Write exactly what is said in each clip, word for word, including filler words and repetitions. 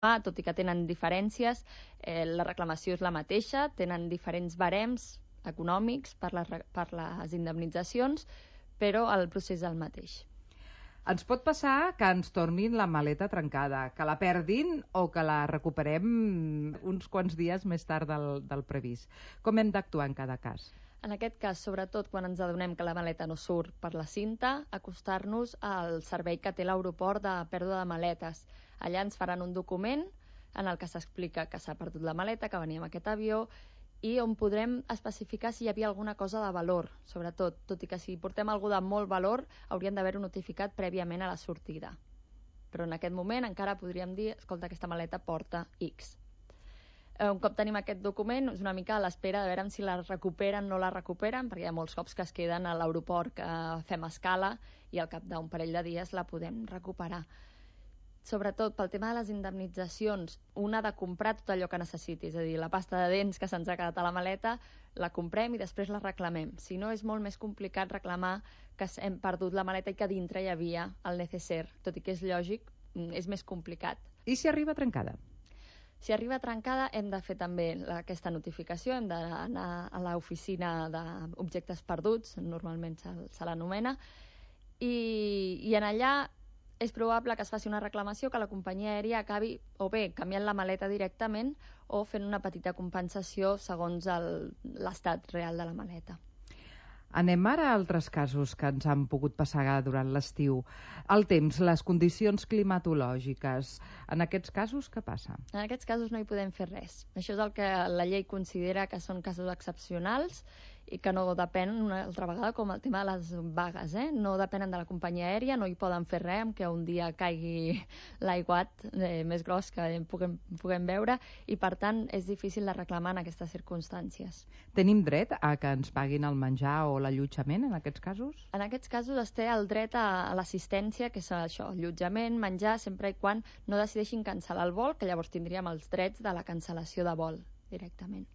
tot i que tenen diferències, eh, la reclamació és la mateixa, tenen diferents barems econòmics per les, per les indemnitzacions, però el procés és el mateix. Ens pot passar que ens tornin la maleta trencada, que la perdin o que la recuperem uns quants dies més tard del, del previst. Com hem d'actuar en cada cas? En aquest cas, sobretot quan ens adonem que la maleta no surt per la cinta, acostar-nos al servei que té l'aeroport de pèrdua de maletes. Allà ens faran un document en el que s'explica que s'ha perdut la maleta, que venia amb aquest avió, i on podrem especificar si hi havia alguna cosa de valor, sobretot, tot i que si portem alguna de molt valor haurien d'haver-ho notificat prèviament a la sortida. Però en aquest moment encara podríem dir, escolta, aquesta maleta porta X. Un cop tenim aquest document, és una mica a l'espera de veure si la recuperen o no la recuperen, perquè hi ha molts cops que es queden a l'aeroport que fem escala i al cap d'un parell de dies la podem recuperar. Sobretot pel tema de les indemnitzacions, un ha de comprar tot allò que necessiti, és a dir, la pasta de dents que se'ns ha quedat a la maleta, la comprem i després la reclamem. Si no, és molt més complicat reclamar que hem perdut la maleta i que dintre hi havia el necesser, tot i que és lògic, és més complicat. I si arriba trencada? Si arriba trencada hem de fer també aquesta notificació, hem d'anar a l'oficina d'objectes perduts, normalment se, se l'anomena, i, i en allà és probable que es faci una reclamació, que la companyia aèria acabi o bé canviant la maleta directament o fent una petita compensació segons l'estat real de la maleta. Anem ara a altres casos que ens han pogut passar durant l'estiu. El temps, les condicions climatològiques. En aquests casos, què passa? En aquests casos no hi podem fer res. Això és el que la llei considera que són casos excepcionals i que no depenen, una altra vegada, com el tema de les vagues, eh? No depenen de la companyia aèria, no hi poden fer res amb que un dia caigui l'aiguat eh, més gros que puguem, puguem veure i, per tant, és difícil de reclamar en aquestes circumstàncies. Tenim dret a que ens paguin el menjar o l'allotjament en aquests casos? En aquests casos es té el dret a, a l'assistència, que és això, allotjament, menjar, sempre i quan no decideixin cancel·lar el vol, que llavors tindríem els drets de la cancel·lació de vol directament.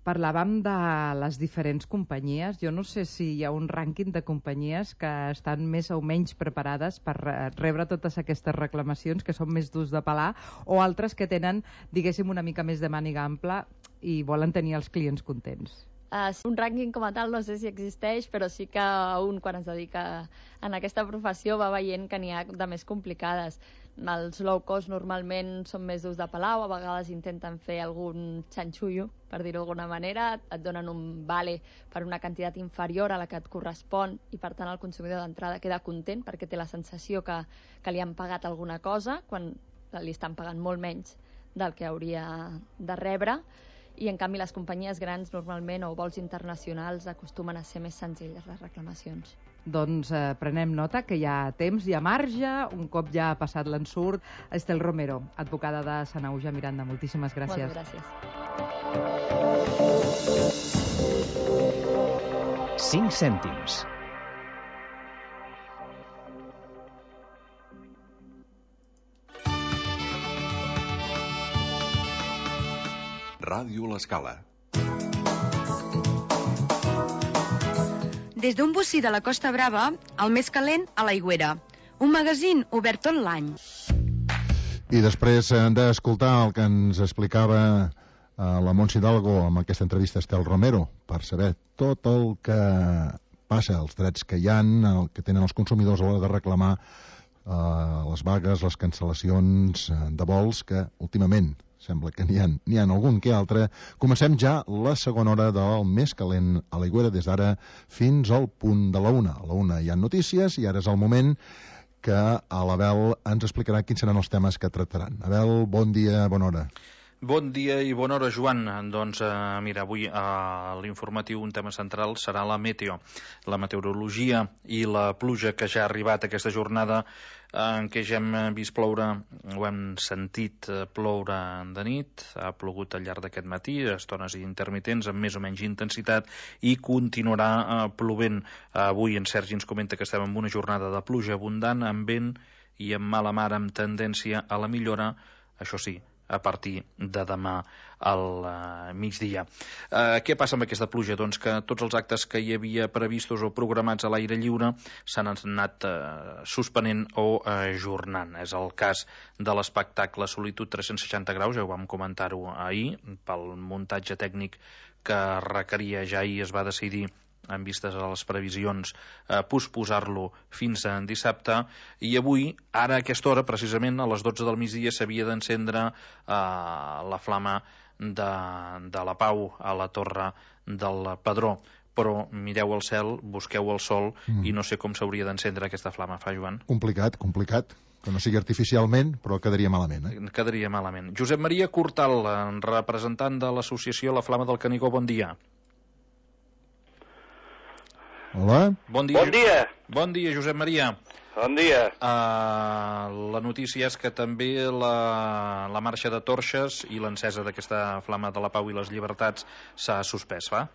Parlàvem de les diferents companyies. Jo no sé si hi ha un rànquing de companyies que estan més o menys preparades per rebre totes aquestes reclamacions, que són més durs de pelar, o altres que tenen, diguéssim, una mica més de màniga ampla i volen tenir els clients contents. Uh, un rànquing com a tal no sé si existeix, però sí que un, quan es dedica en aquesta professió, va veient que n'hi ha de més complicades. Els low cost normalment són més durs de pelar, o a vegades intenten fer algun xanxullo, per dir-ho d'alguna manera, et donen un vale per una quantitat inferior a la que et correspon i, per tant, el consumidor d'entrada queda content perquè té la sensació que, que li han pagat alguna cosa quan li estan pagant molt menys del que hauria de rebre. I, en canvi, les companyies grans normalment o vols internacionals acostumen a ser més senzilles les reclamacions. Doncs eh, prenem nota que hi ha temps, hi ha marge, un cop ja ha passat l'ensurt. Estel Romero, advocada de Sanaüja Miranda, moltíssimes gràcies. Moltes gràcies. cinc cèntims. Ràdio L'Escala. Des d'un bocí de la Costa Brava, el més calent a l'Aigüera. Un magazín obert tot l'any. I després d'escoltar el que ens explicava la Montse Hidalgo amb aquesta entrevista a Estel Romero, per saber tot el que passa, els drets que hi ha, el que tenen els consumidors a l'hora de reclamar eh, les vagues, les cancel·lacions de vols, que últimament sembla que n'hi ha, n'hi ha algun que altre. Comencem ja la segona hora del més calent a l'Aigüera, des d'ara fins al punt de la una. A la una hi ha notícies i ara és el moment que l'Abel ens explicarà quins seran els temes que tractaran. Abel, bon dia, bona hora. Bon dia i bona hora, Joan. Doncs eh, mira, avui a l'informatiu un tema central serà la meteo, la meteorologia i la pluja que ja ha arribat aquesta jornada en què ja hem vist ploure, ho hem sentit ploure de nit, ha plogut al llarg d'aquest matí, estones intermitents amb més o menys intensitat, i continuarà eh, plovent. Avui en Sergi ens comenta que estem en una jornada de pluja abundant, amb vent i amb mala mar, amb tendència a la millora, això sí, a partir de demà al uh, migdia. Uh, què passa amb aquesta pluja? Doncs que tots els actes que hi havia previstos o programats a l'aire lliure s'han anat uh, suspenent o ajornant. És el cas de l'espectacle Solitud tres-cents seixanta graus, ja ho vam comentar-ho ahir, pel muntatge tècnic que requeria, ja ahir es va decidir en vistes a les previsions, eh, posposar-lo fins a dissabte, i avui, ara a aquesta hora, precisament a les dotze del migdia, s'havia d'encendre eh, la flama de, de la Pau a la Torre del Pedró. Però mireu el cel, busqueu el sol, mm. i no sé com s'hauria d'encendre aquesta flama, fa, Joan? Complicat, complicat. Que no sigui artificialment, però quedaria malament. Eh? Quedaria malament. Josep Maria Cortal, representant de l'associació La Flama del Canigó, bon dia. Hola. Bon dia. Bon dia. Bon dia, Josep Maria. Bon dia. Uh, la notícia és que també la, la marxa de torxes i l'encesa d'aquesta flama de la Pau i les llibertats s'ha suspès, va?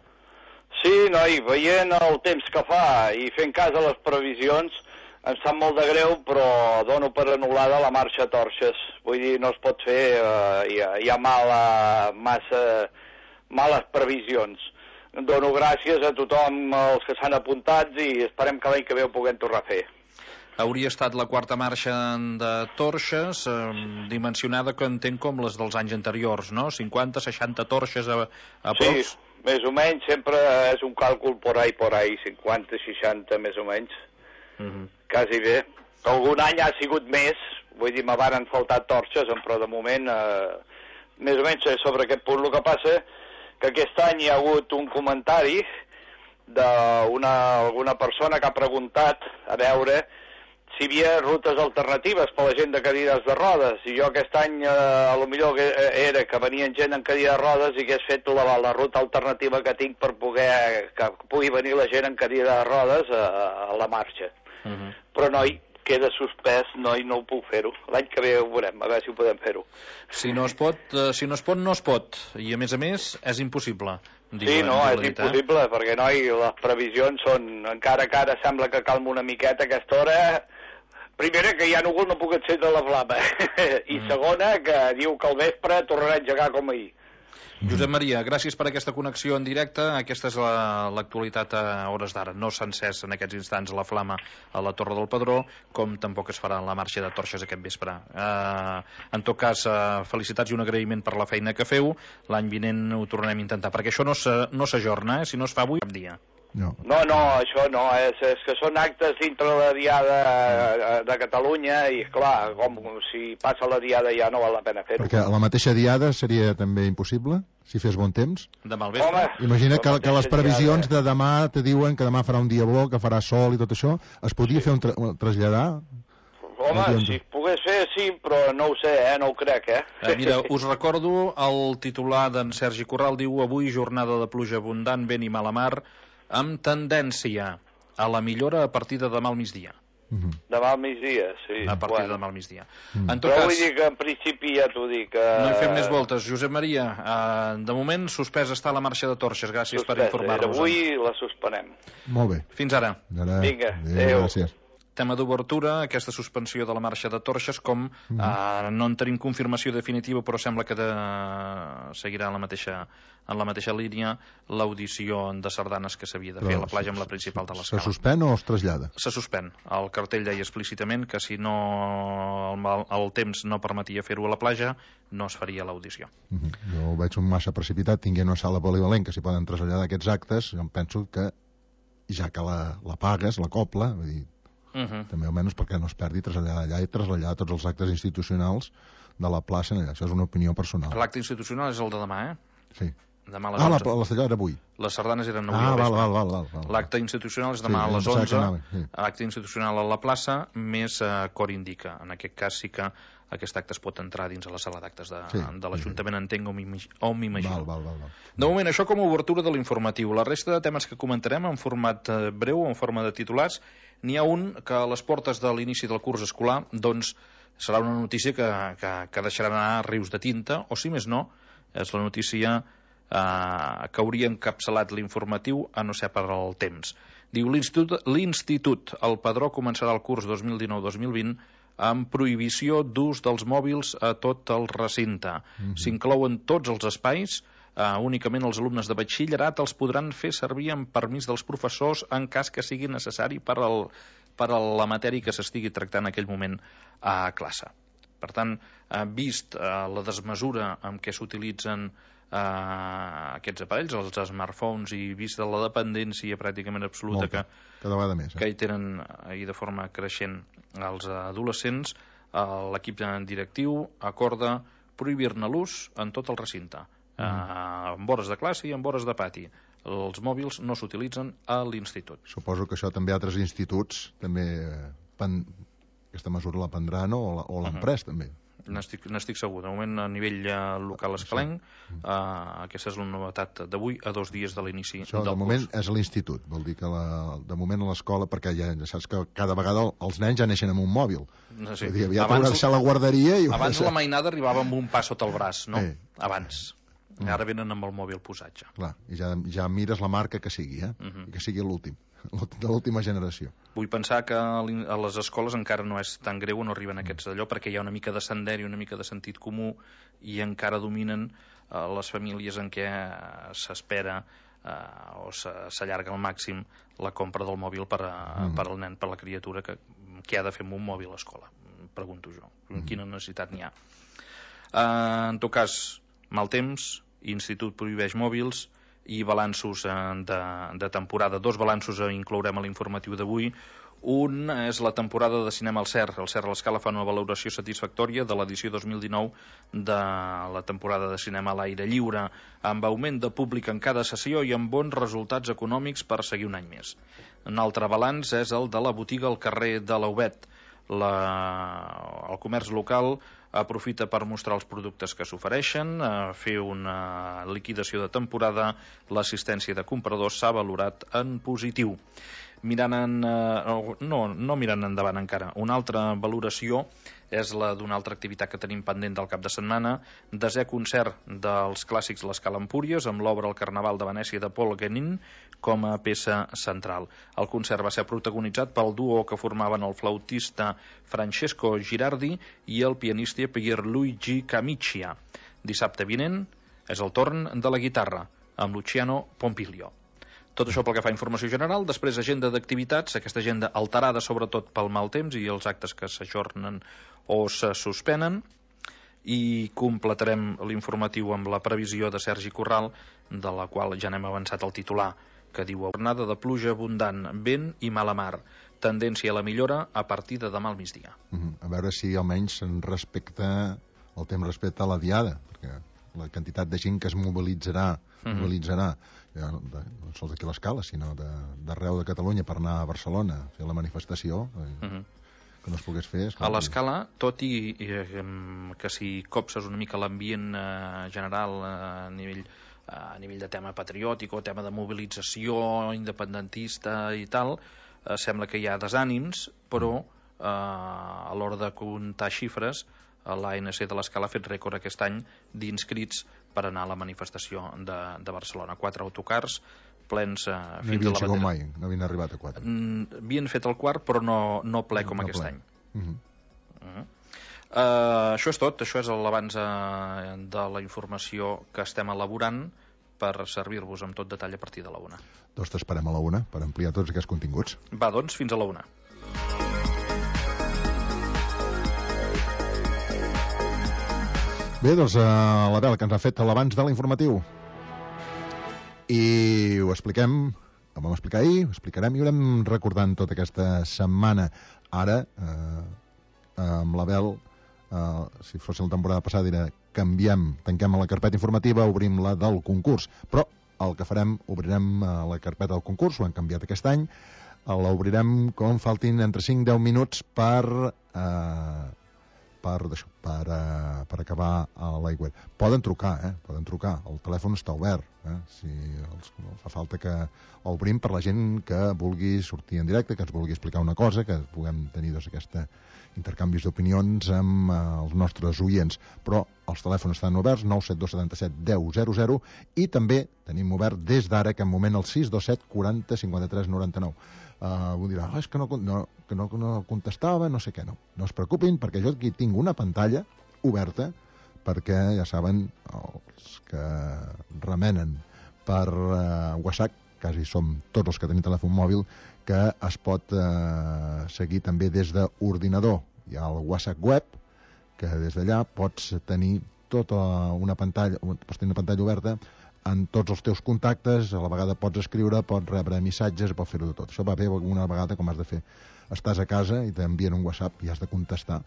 Sí, noi, veient el temps que fa i fent cas a les previsions, em sap molt de greu, però dono per anul·lada la marxa a torxes. Vull dir, no es pot fer, uh, hi ha, hi ha mala, massa, males previsions. Dono gràcies a tothom, els que s'han apuntat, i esperem que l'any que ve ho puguem tornar a fer. Hauria estat la quarta marxa de torxes, eh, dimensionada, que entenc, com les dels anys anteriors, no? cinquanta, seixanta torxes a, a props? Sí, més o menys, sempre és un càlcul por ahí, por ahí, cinquanta, seixanta, més o menys. Uh -huh. Quasi bé. Algun any ha sigut més, vull dir, me varen faltar torxes, però de moment, eh, més o menys sobre aquest punt. El que passa que aquest any hi ha hagut un comentari d'una alguna persona que ha preguntat a veure si hi havia rutes alternatives per la gent de cadires de rodes, i jo aquest any eh, a lo millor era que venien gent en cadira de rodes i hagués fet la, la ruta alternativa que tinc per poder que pugui venir la gent en cadira de rodes a, a la marxa. Uh -huh. Però noi, queda suspès, no, i no ho puc fer-ho. L'any que ve ho veurem, a veure si ho podem fer-ho. Si no es pot, eh, si no es pot, no es pot. I a més a més, és impossible. Sí, no, és impossible, eh? Perquè, noi, les previsions són, encara que ara sembla que calma una miqueta a aquesta hora. Primera, que hi ha núvol, no puc encendre la flama. I mm. segona, que diu que al vespre tornarà a engegar com ahir. Josep Maria, gràcies per aquesta connexió en directe. Aquesta és l'actualitat la, a hores d'ara. No s'ha encès en aquests instants la flama a la Torre del Pedró, com tampoc es farà la marxa de torxes aquest vespre. Uh, en tot cas, uh, felicitats i un agraïment per la feina que feu. L'any vinent ho tornarem a intentar, perquè això no s'ajorna, eh? Si no es fa avui, cap dia. No. no, no, això no, és, és que són actes dintre la diada de Catalunya i, clar, com si passa la diada ja no val la pena fer-ho. Perquè a la mateixa diada seria també impossible, si fes bon temps? Demà al vespre. Home, imagina que, que les previsions diada... de demà te diuen que demà farà un dia bo, que farà sol i tot això. Es podria sí. fer un, tra un traslladar? Home, si es pogués fer, sí, però no ho sé, eh? No ho crec, eh? eh mira, us recordo el titular d'en Sergi Corral, diu: avui jornada de pluja abundant, vent i mala mar, amb tendència a la millora a partir de demà al migdia. Uh-huh. Demà al migdia, sí. A partir bueno. de demà al migdia. Uh-huh. En tot Però cas, vull dir que en principi ja t'ho dic. Uh... No hi fem més voltes. Josep Maria, uh, de moment suspès està la marxa de torxes. Gràcies suspès, per informar-nos. Avui la suspenem. Molt bé. Fins ara. ara. Vinga, adéu. Gràcies. Tema d'obertura, aquesta suspensió de la marxa de torxes, com mm. eh, no en tenim confirmació definitiva, però sembla que de, seguirà en la mateixa, en la mateixa línia l'audició de sardanes que s'havia de fer però a la platja amb la principal de l'Escala. Se suspèn o es trasllada? Se suspèn. El cartell deia explícitament que si no el, el temps no permetia fer-ho a la platja, no es faria l'audició. Mm -hmm. Jo ho veig un massa precipitat, tinguent una sala polivalent que s'hi poden traslladar aquests actes, jo em penso que ja que la, la pagues, la copla, vull dir, Uh -huh. també almenys perquè no es perdi traslladar allà i traslladar tots els actes institucionals de la plaça allà. Això és una opinió personal. L'acte institucional és el de demà, eh? Sí. Demà a les ah, onze. la, la cellera era avui. Les sardanes eren avui ah, al vespre. val, val, val, val. L'acte institucional és demà sí, a les onze. Sí. Acte institucional a la plaça, més eh, cor indica. En aquest cas sí que aquest acte es pot entrar dins a la sala d'actes de, sí, de l'Ajuntament, sí. Entenc o m'imagino. Val, val, val, val. De moment, això com a obertura de l'informatiu. La resta de temes que comentarem en format eh, breu, en forma de titulars, n'hi ha un que a les portes de l'inici del curs escolar, doncs, serà una notícia que, que, que deixarà anar rius de tinta, o si més no, és la notícia eh, que hauria encapçalat l'informatiu, a no ser per al temps. Diu, l'Institut, l'Institut El Pedró començarà el curs dos mil dinou dos mil vint amb prohibició d'ús dels mòbils a tot el recinte. Mm-hmm. S'inclouen tots els espais, uh, únicament els alumnes de batxillerat els podran fer servir amb permís dels professors en cas que sigui necessari per, al, per a la matèria que s'estigui tractant en aquell moment a classe. Per tant, uh, vist uh, la desmesura amb què s'utilitzen Uh, aquests aparells, els smartphones, i vist la dependència pràcticament absoluta Molta. que, cada vegada més, eh? que hi tenen i de forma creixent els adolescents, uh, l'equip directiu acorda prohibir-ne l'ús en tot el recinte, mm. uh, en hores de classe i en hores de pati. Els mòbils no s'utilitzen a l'institut. Suposo que això també altres instituts també pen... aquesta mesura la prendran o l'han pres, uh-huh. també. N'estic, n'estic segur. De moment, a nivell uh, local escalenc, uh, aquesta és la novetat d'avui, a dos dies de l'inici Això, del de moment, curs. és a l'institut. Vol dir que la, de moment a l'escola, perquè ja saps que cada vegada els nens ja neixen amb un mòbil. No sé. Vull dir, aviat haurà de deixar la guarderia i... Abans la mainada arribava amb un pas sota el braç, no? Eh. Abans. Mm. Ara venen amb el mòbil posat ja. Clar, i ja, ja mires la marca que sigui, eh? Uh-huh. I que sigui l'últim, de l'última generació. Vull pensar que a les escoles encara no és tan greu, no arriben aquests d'allò, perquè hi ha una mica de sender i una mica de sentit comú, i encara dominen eh, les famílies en què s'espera eh, o s'allarga al màxim la compra del mòbil per, a, mm. per al nen, per la criatura, que, que ha de fer amb un mòbil a l'escola, pregunto jo. Mm. Quina necessitat n'hi ha? Eh, en tot cas, mal temps, Institut prohibeix mòbils, i balanços de, de temporada. Dos balanços inclourem a l'informatiu d'avui. Un és la temporada de cinema al C E R. El C E R a l'Escala fa una valoració satisfactòria de l'edició dos mil dinou de la temporada de cinema a l'aire lliure, amb augment de públic en cada sessió i amb bons resultats econòmics per seguir un any més. Un altre balanç és el de la botiga al carrer de l'Aubet. La... El comerç local aprofita per mostrar els productes que s'ofereixen, fer una liquidació de temporada, l'assistència de compradors s'ha valorat en positiu. Mirant en, no, no mirant endavant encara, una altra valoració és la d'una altra activitat que tenim pendent del cap de setmana, desè concert dels clàssics l'Escala Empúries, amb l'obra El Carnaval de Venècia de Paul Guénin com a peça central. El concert va ser protagonitzat pel duo que formaven el flautista Francesco Girardi i el pianista Pierluigi Camiccia. Dissabte vinent és el torn de la guitarra, amb Luciano Pompilio. Tot això pel que fa a informació general. Després, agenda d'activitats, aquesta agenda alterada sobretot pel mal temps i els actes que s'ajornen o se suspenen, i completarem l'informatiu amb la previsió de Sergi Corral, de la qual ja n'hem avançat el titular, que diu: jornada de pluja abundant, vent i mala mar, tendència a la millora a partir de demà al migdia. Uh-huh. A veure si almenys se'n respecta el temps respecte a la diada, perquè la quantitat de gent que es mobilitzarà, uh-huh. mobilitzarà ja, de, no sols d'aquí a l'Escala, sinó d'arreu de, de Catalunya per anar a Barcelona a fer la manifestació, eh, uh-huh. que no es pogués fer. A l'Escala, tot i eh, que si copses una mica l'ambient eh, general eh, a nivell eh, a nivell de tema patriòtic o tema de mobilització independentista i tal, eh, sembla que hi ha desànims, però eh, a l'hora de comptar xifres, l'A N C de l'Escala ha fet rècord aquest any d'inscrits per anar a la manifestació de, de Barcelona. Quatre autocars plens eh, no fins a la bandera. Mai, no havien arribat a quatre. Mm, havien fet el quart, però no, no ple com no aquest ple. any. Uh-huh. Uh-huh. Uh, això és tot, això és l'abans uh, de la informació que estem elaborant per servir-vos amb tot detall a partir de la una. Doncs t'esperem a la una per ampliar tots aquests continguts. Va, doncs, fins a la una. Bé, doncs uh, la vela que ens ha fet l'abans de l'informatiu. I ho expliquem, ho vam explicar ahir, ho explicarem i ho anem recordant tota aquesta setmana. Ara, eh, amb l'Abel, eh, si fos la temporada passada, era canviem, tanquem la carpeta informativa, obrim la del concurs. Però el que farem, obrirem la carpeta del concurs, ho hem canviat aquest any, l'obrirem com faltin entre cinc i deu minuts per... Eh, per, per per, uh, per acabar a l'aigua. Poden trucar, eh? Poden trucar. El telèfon està obert. Eh? Si els, fa falta que obrim per la gent que vulgui sortir en directe, que ens vulgui explicar una cosa, que puguem tenir doncs, aquesta intercanvis d'opinions amb uh, els nostres oients. Però els telèfons estan oberts, nou set dos set set deu zero zero, i també tenim obert des d'ara, que en moment, el sis dos set quaranta cinquanta tres noranta nou. Uh, vull dir, oh, és que no, no, que no, no contestava, no sé què, no. No es preocupin, perquè jo aquí tinc una pantalla oberta, perquè ja saben, els que remenen per uh, WhatsApp, quasi som tots els que tenim telèfon mòbil, que es pot uh, seguir també des d'ordinador. Hi ha el WhatsApp web, que des d'allà pots tenir tota una pantalla, pots tenir una pantalla oberta en tots els teus contactes, a la vegada pots escriure, pots rebre missatges, pots fer-ho de tot. Això va bé una vegada, com has de fer. Estàs a casa i t'envien un WhatsApp i has de contestar.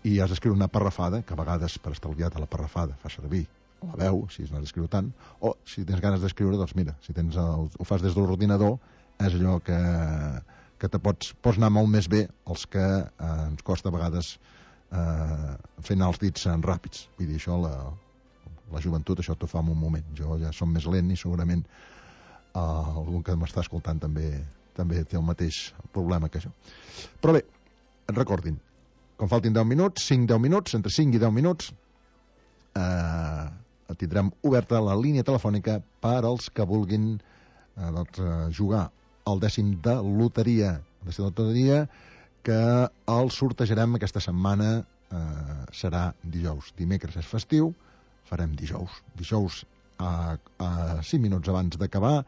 I has d'escriure una parrafada, que a vegades, per estalviar-te la parrafada, fa servir la veu, si no has d'escriure tant, o si tens ganes d'escriure, doncs mira, si tens el, ho fas des de l'ordinador, és allò que, que te pots, pots anar molt més bé els que eh, ens costa a vegades eh, fer anar els dits en ràpids. Vull dir, això la... la joventut això t'ho fa en un moment. Jo ja som més lent i segurament uh, algun que m'està escoltant també també té el mateix problema que jo. Però bé, recordin, com faltin deu minuts, cinc deu minuts, entre cinc i deu minuts, eh, tindrem oberta la línia telefònica per als que vulguin eh, doncs, jugar al dècim de loteria. El dècim de loteria que el sortejarem aquesta setmana, eh, serà dijous. Dimecres és festiu, farem dijous. Dijous, a, a cinc minuts abans d'acabar,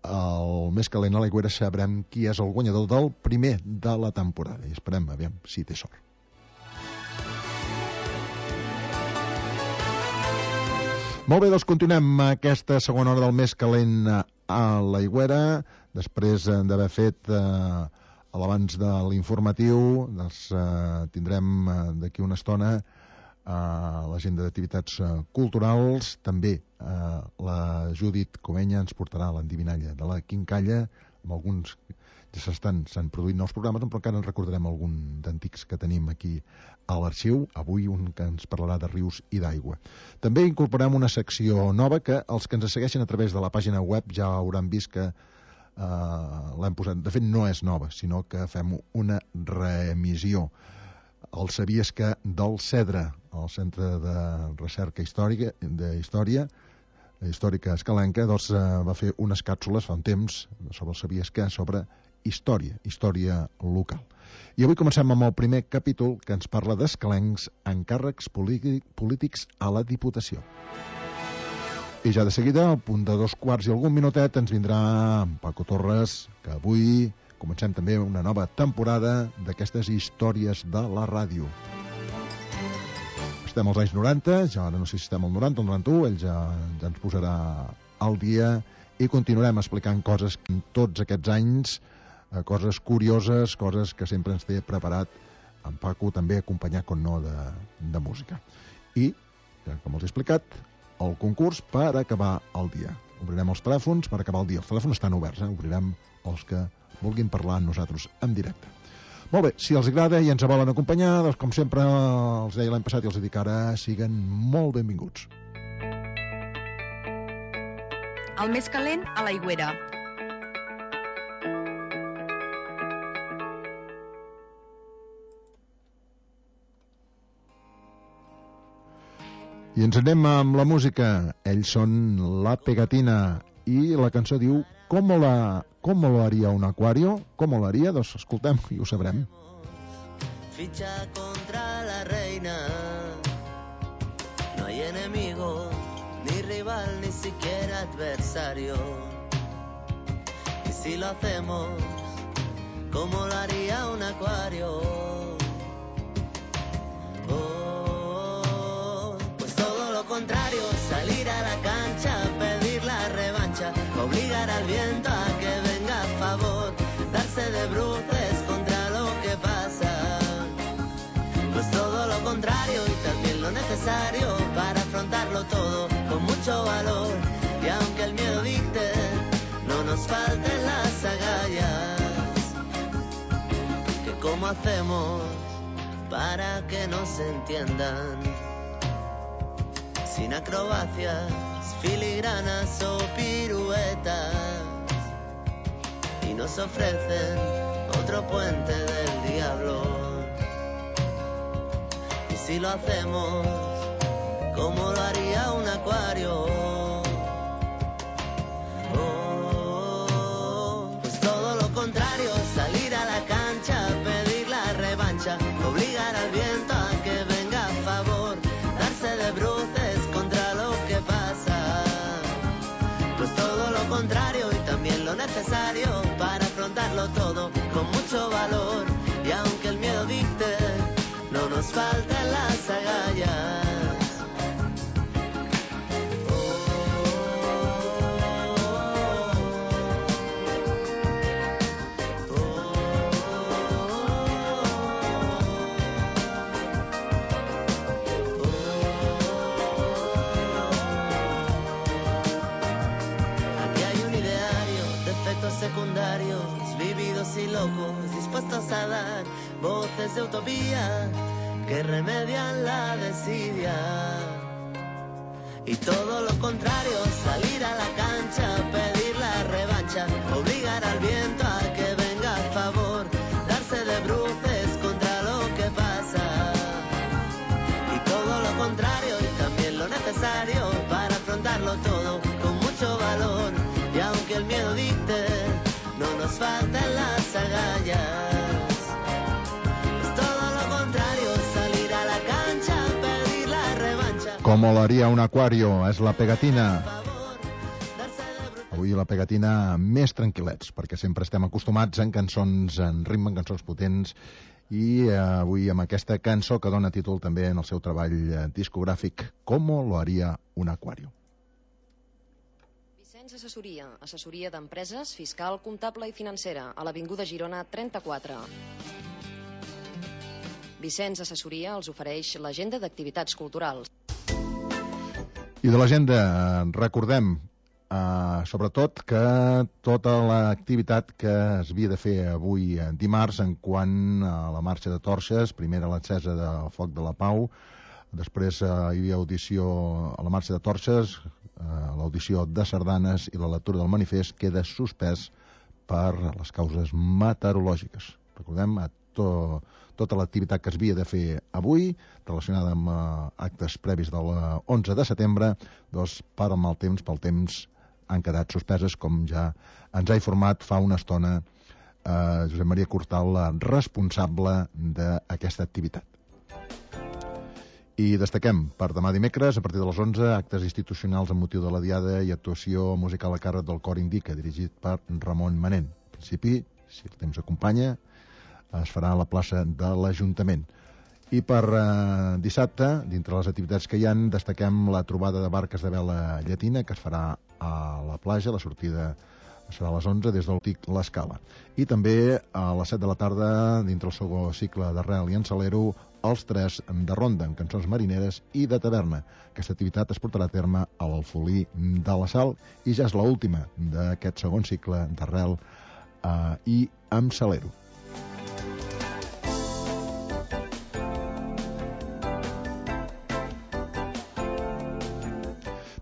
el més calent a l'Aigüera, sabrem qui és el guanyador del primer de la temporada. I esperem, aviam, si té sort. Molt bé, doncs continuem aquesta segona hora del més calent a l'Aigüera, després d'haver fet eh, l'abans de l'informatiu, doncs, eh, tindrem eh, d'aquí una estona a l'agenda d'activitats uh, culturals. També uh, la Judit Comenya ens portarà l'endivinalla de la Quincalla, amb alguns ja s'estan s'han produït nous programes, però encara en recordarem algun d'antics que tenim aquí a l'arxiu. Avui un que ens parlarà de rius i d'aigua. També incorporem una secció nova que els que ens segueixen a través de la pàgina web ja hauran vist que uh, l'hem posat. De fet, no és nova, sinó que fem una reemissió. El Sabies que del Cedre, el Centre de Recerca Històrica, de Història Històrica Escalenca, doncs, eh, va fer unes càpsules fa un temps sobre el Sabies que, sobre història, història local. I avui comencem amb el primer capítol, que ens parla d'escalencs en càrrecs polítics a la Diputació. I ja de seguida, al punt de dos quarts i algun minutet, ens vindrà Paco Torres, que avui comencem també una nova temporada d'aquestes històries de la ràdio. Estem als anys noranta, ja ara no sé si estem al noranta o al noranta-u, ell ja, ja ens posarà al dia i continuarem explicant coses en tots aquests anys, eh, coses curioses, coses que sempre ens té preparat en Paco, també acompanyat, com no, de, de música. I, com els he explicat, el concurs per acabar el dia. Obrirem els telèfons per acabar el dia. Els telèfons estan oberts, eh? Obrirem els que vulguin parlar amb nosaltres en directe. Molt bé, si els agrada i ens volen acompanyar, doncs com sempre els deia l'any passat i els dic ara, siguen molt benvinguts. El més calent a l'Aigüera. I ens anem amb la música. Ells són La Pegatina i la cançó diu ¿Cómo, la, ¿Cómo lo haría un acuario? ¿Cómo lo haría? Doncs escoltem i ho sabrem. Ficha contra la reina. No hay enemigo, ni rival, ni siquiera adversario. Y si lo hacemos, ¿cómo lo haría un acuario? Oh, pues todo lo contrario, salir a la cancha, pedir la revancha, obligar al viento a que venga a favor, darse de bruces contra lo que pasa. Pues todo lo contrario y también lo necesario para afrontarlo todo con mucho valor. Y aunque el miedo dicte, no nos falten las agallas. Que cómo hacemos para que nos entiendan. Sin acrobacias, filigranas o piruetas. Y nos ofrecen otro puente del diablo. Y si lo hacemos como lo haría un acuario, oh, pues todo lo contrario, salir a la cancha, pedir la revancha, obligar al viento a que venga a favor, darse de bruces contra lo que pasa. Pues todo lo contrario y también lo necesario para afrontarlo todo con mucho valor. Y aunque el miedo dicte, no nos faltan las agallas. Secundarios, vividos y locos, dispuestos a dar voces de utopía que remedian la desidia. Y todo lo contrario, salir a la cancha, pedir la revancha, obligar al viento a que venga a favor, darse de bruces contra lo que pasa. Y todo lo contrario y también lo necesario para afrontarlo todo con mucho valor. Y aunque el miedo dicte, no nos faltan las agallas. Es todo lo contrario, salir a la cancha, pedir la revancha. Como lo haría un acuario, és la pegatina. Avui la pegatina més tranquil·lets, perquè sempre estem acostumats en cançons en ritme, en cançons potents, i avui amb aquesta cançó que dona títol també en el seu treball discogràfic, Como lo haría un acuario. Assessoria, assessoria d'empreses, fiscal, comptable i financera, a l'Avinguda Girona trenta-quatre. Vicenç Assessoria els ofereix l'agenda d'activitats culturals. I de l'agenda recordem, eh, sobretot, que tota l'activitat que es havia de fer avui dimarts en quant a la marxa de torxes, primera l'encesa del Foc de la Pau, després eh, hi havia audició a la marxa de torxes, l'audició de sardanes i la lectura del manifest queda suspès per les causes meteorològiques. Recordem a to, tota l'activitat que es havia de fer avui, relacionada amb uh, actes previs de l'onze de setembre, doncs per al mal temps, pel temps, han quedat suspeses, com ja ens ha informat fa una estona uh, Josep Maria Cortal, responsable d'aquesta activitat. I destaquem per demà dimecres, a partir de les onze, actes institucionals amb motiu de la Diada i actuació musical a càrrec del Cor Indica, dirigit per Ramon Manent. En principi, si el temps acompanya, es farà a la plaça de l'Ajuntament. I per eh, dissabte, dintre les activitats que hi ha, destaquem la trobada de barques de vela llatina, que es farà a la platja, la sortida serà a les onze des del Tic l'Escala. I també a les set de la tarda, dintre el segon cicle d'Arrel i en Salero, els tres de ronda, amb cançons marineres i de taverna. Aquesta activitat es portarà a terme a l'Alfolí de la Sal i ja és l'última d'aquest segon cicle d'Arrel eh, i amb Salero.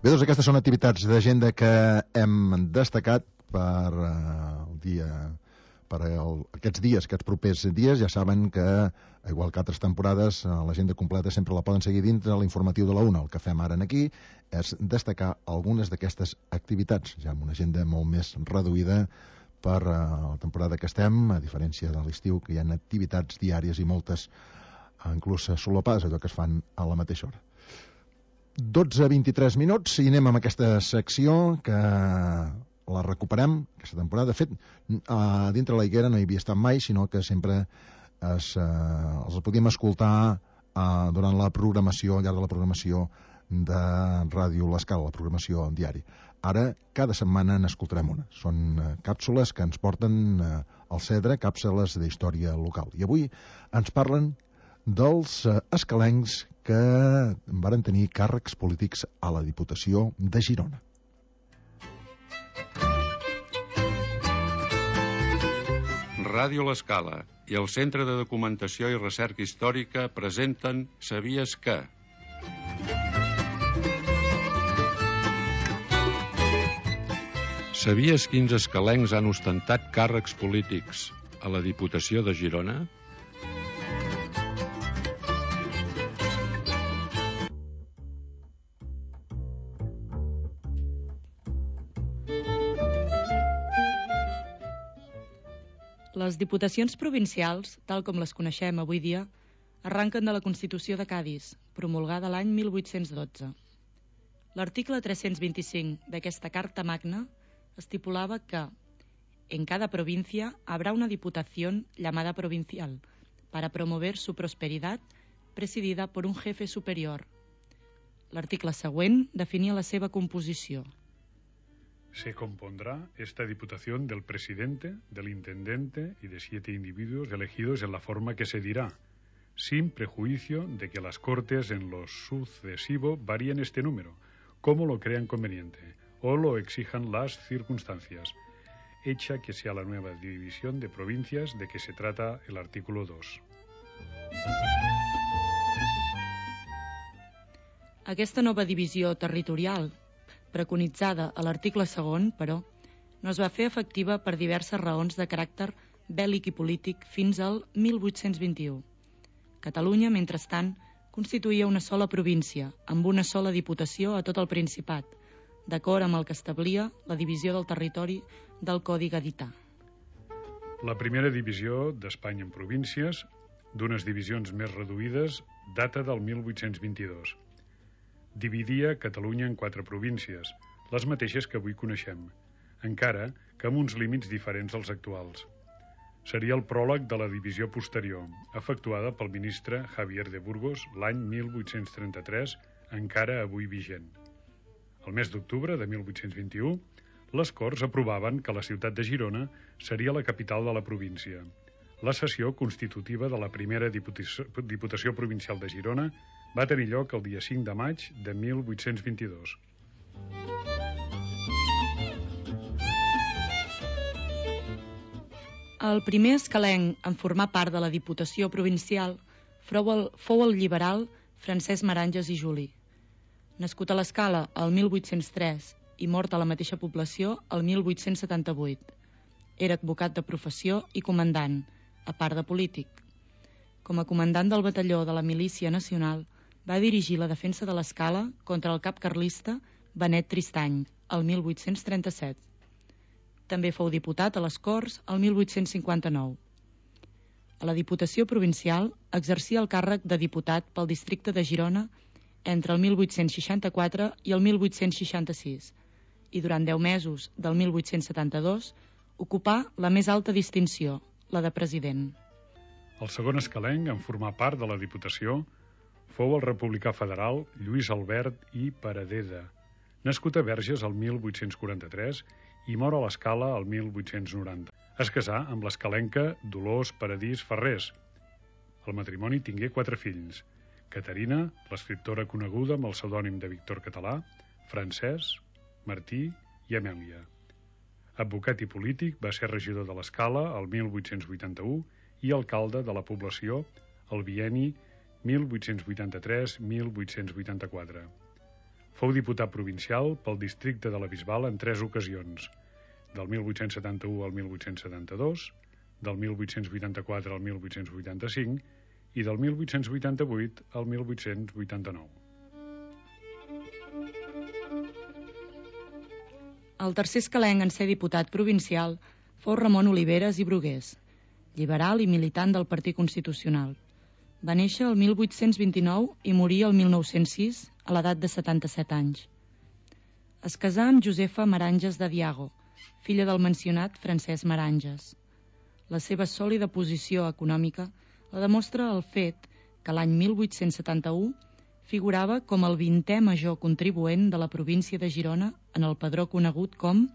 Bé, doncs aquestes són activitats d'agenda que hem destacat per uh, el dia, per el, aquests dies, aquests propers dies. Ja saben que, igual que altres temporades, l'agenda completa sempre la poden seguir dintre l'informatiu de la una. El que fem ara aquí és destacar algunes d'aquestes activitats, ja amb una agenda molt més reduïda per uh, la temporada que estem, a diferència de l'estiu, que hi ha activitats diàries i moltes, inclús solapades, allò que es fan a la mateixa hora. dotze a vint-i-tres minuts i anem amb aquesta secció que la recuperem aquesta temporada. De fet, a dintre la Higuera no hi havia estat mai, sinó que sempre es, eh, els podíem escoltar eh, durant la programació, al llarg de la programació de Ràdio l'Escala, la programació diària. Ara, cada setmana n'escoltarem una. Són eh, càpsules que ens porten eh, al Cedre, càpsules d'història local. I avui ens parlen dels eh, escalencs que varen tenir càrrecs polítics a la Diputació de Girona. Ràdio L'Escala i el Centre de Documentació i Recerca Històrica presenten Sabies que? Sabies quins escalencs han ostentat càrrecs polítics a la Diputació de Girona? Les diputacions provincials, tal com les coneixem avui dia, arranquen de la Constitució de Cadis, promulgada l'any mil vuit-cents dotze. L'article tres-cents vint-i-cinc d'aquesta Carta Magna estipulava que en cada provincia habrá una diputación llamada provincial para promover su prosperidad presidida por un jefe superior. L'article següent definia la seva composició. Se compondrá esta diputación del presidente, del intendente y de siete individuos elegidos en la forma que se dirá, sin prejuicio de que las Cortes en lo sucesivo varíen este número, como lo crean conveniente, o lo exijan las circunstancias, hecha que sea la nueva división de provincias de que se trata el artículo dos. Aquesta nova divisió territorial, preconitzada a l'article segon, però, no es va fer efectiva per diverses raons de caràcter bèl·lic i polític fins al mil vuit-cents vint-i-u. Catalunya, mentrestant, constituïa una sola província, amb una sola diputació a tot el Principat, d'acord amb el que establia la divisió del territori del Codi Gadità. La primera divisió d'Espanya en províncies, d'unes divisions més reduïdes, data del mil vuit-cents vint-i-dos. Dividia Catalunya en quatre províncies, les mateixes que avui coneixem, encara que amb uns límits diferents dels actuals. Seria el pròleg de la divisió posterior, efectuada pel ministre Javier de Burgos l'any mil vuit-cents trenta-tres, encara avui vigent. El mes d'octubre de mil vuit-cents vint-i-u, les Corts aprovaven que la ciutat de Girona seria la capital de la província. La sessió constitutiva de la primera Diputació, Diputació Provincial de Girona va tenir lloc el dia cinc de maig de mil vuit-cents vint-i-dos. El primer escalenc en formar part de la Diputació Provincial fou el, fou el liberal Francesc Maranges i Juli. Nascut a l'Escala el mil vuit-cents tres i mort a la mateixa població el mil vuit-cents setanta-vuit. Era advocat de professió i comandant, a part de polític. Com a comandant del batalló de la Milícia Nacional, va dirigir la defensa de l'Escala contra el cap carlista Benet Tristany, el mil vuit-cents trenta-set. També fou diputat a les Corts el mil vuit-cents cinquanta-nou. A la Diputació Provincial exercia el càrrec de diputat pel districte de Girona entre el mil vuit-cents seixanta-quatre i el mil vuit-cents seixanta-sis i durant deu mesos del mil vuit-cents setanta-dos ocupà la més alta distinció, la de president. El segon escalenc en formar part de la Diputació fou el republicà federal Lluís Albert i Paradeda, nascut a Verges el mil vuit-cents quaranta-tres i mor a l'Escala el mil vuit-cents noranta. Es casà amb l'escalenca Dolors Paradís Ferrés. El matrimoni tingué quatre fills: Caterina, l'escriptora coneguda amb el pseudònim de Víctor Català, Francesc, Martí i Amèlia. Advocat i polític, va ser regidor de l'Escala el mil vuit-cents vuitanta-u i alcalde de la població el bienni mil vuit-cents vuitanta-tres a mil vuit-cents vuitanta-quatre. Fou diputat provincial pel districte de la Bisbal en tres ocasions, del mil vuit-cents setanta-u al mil vuit-cents setanta-dos, del mil vuit-cents vuitanta-quatre al mil vuit-cents vuitanta-cinc i del mil vuit-cents vuitanta-vuit al mil vuit-cents vuitanta-nou. El tercer escalenc en ser diputat provincial fou Ramon Oliveres i Brugués, liberal i militant del Partit Constitucional. Va néixer el mil vuit-cents vint-i-nou i morir el mil nou-cents sis a l'edat de setanta-set anys. Es casà amb Josefa Maranges de Diago, filla del mencionat Francesc Maranges. La seva sòlida posició econòmica la demostra el fet que l'any mil vuit-cents setanta-u figurava com el vintè major contribuent de la província de Girona en el padró conegut com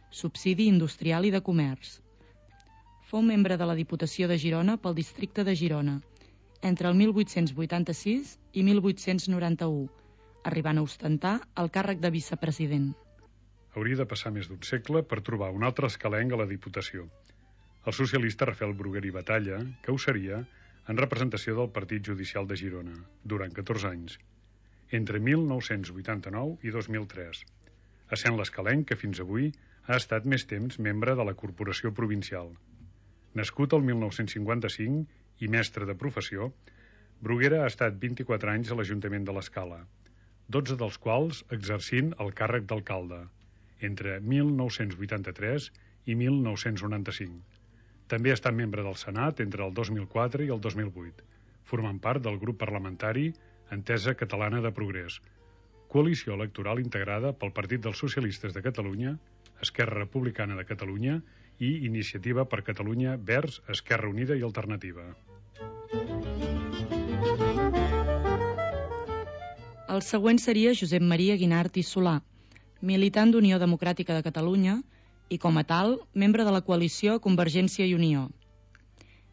Subsidi Industrial i de Comerç. Fou membre de la Diputació de Girona pel districte de Girona entre el mil vuit-cents vuitanta-sis i mil vuit-cents noranta-u, arribant a ostentar el càrrec de vicepresident. Hauria de passar més d'un segle per trobar un altre escalenc a la Diputació. el socialista Rafael Bruguera i Batalla, que ho seria en representació del Partit Judicial de Girona, durant catorze anys, entre mil nou-cents vuitanta-nou i dos mil tres, essent l'escalenc que fins avui ha estat més temps membre de la Corporació Provincial. Nascut el mil nou-cents cinquanta-cinc i mestre de professió, Bruguera ha estat vint-i-quatre anys a l'Ajuntament de l'Escala, dotze dels quals exercint el càrrec d'alcalde, entre mil nou-cents vuitanta-tres i mil nou-cents noranta-cinc. També ha estat membre del Senat entre el dos mil quatre i el dos mil vuit, formant part del grup parlamentari Entesa Catalana de Progrés, coalició electoral integrada pel Partit dels Socialistes de Catalunya, Esquerra Republicana de Catalunya i Iniciativa per Catalunya Verds, Esquerra Unida i Alternativa. El següent seria Josep Maria Guinart i Solà, militant d'Unió Democràtica de Catalunya i, com a tal, membre de la coalició Convergència i Unió.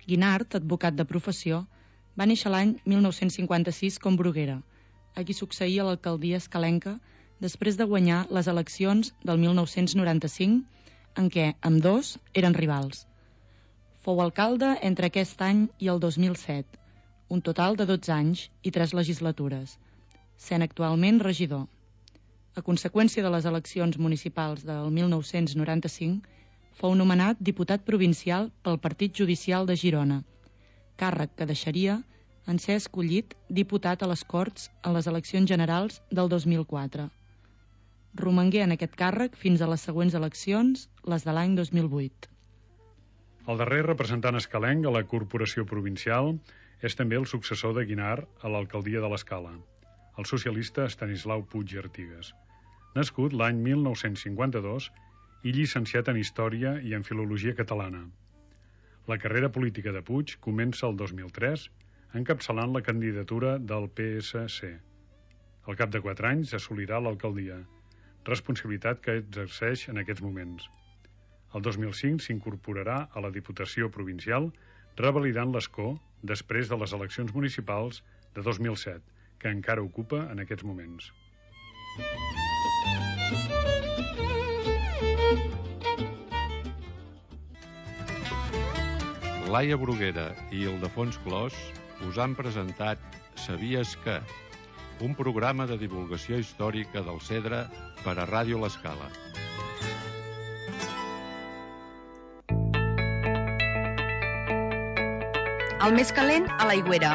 Guinart, advocat de professió, va néixer l'any mil nou-cents cinquanta-sis com Bruguera, a qui succeïa l'alcaldia escalenca després de guanyar les eleccions del mil nou-cents noranta-cinc, en què ambdós eren rivals. Fou alcalde entre aquest any i el dos mil set, un total de dotze anys i tres legislatures, sent actualment regidor. A conseqüència de les eleccions municipals del mil nou-cents noranta-cinc, fou nomenat diputat provincial pel Partit Judicial de Girona, càrrec que deixaria en ser escollit diputat a les Corts en les eleccions generals del dos mil quatre. Romangué en aquest càrrec fins a les següents eleccions, les de l'any dos mil vuit. El darrer representant escalenc a la Corporació Provincial és també el successor de Guinart a l'alcaldia de l'Escala, el socialista Estanislau Puig i Artigas. Nascut l'any mil nou-cents cinquanta-dos i llicenciat en Història i en Filologia Catalana. La carrera política de Puig comença el dos mil tres, encapçalant la candidatura del P S C. Al cap de quatre anys assolirà l'alcaldia, responsabilitat que exerceix en aquests moments. El dos mil cinc s'incorporarà a la Diputació Provincial, revalidant l'escó després de les eleccions municipals de dos mil set, que encara ocupa en aquests moments. Laia Bruguera i Ildefons Clos us han presentat Sabies que? Un programa de divulgació històrica del Cedre per a Ràdio l'Escala. El més calent a l'Aigüera.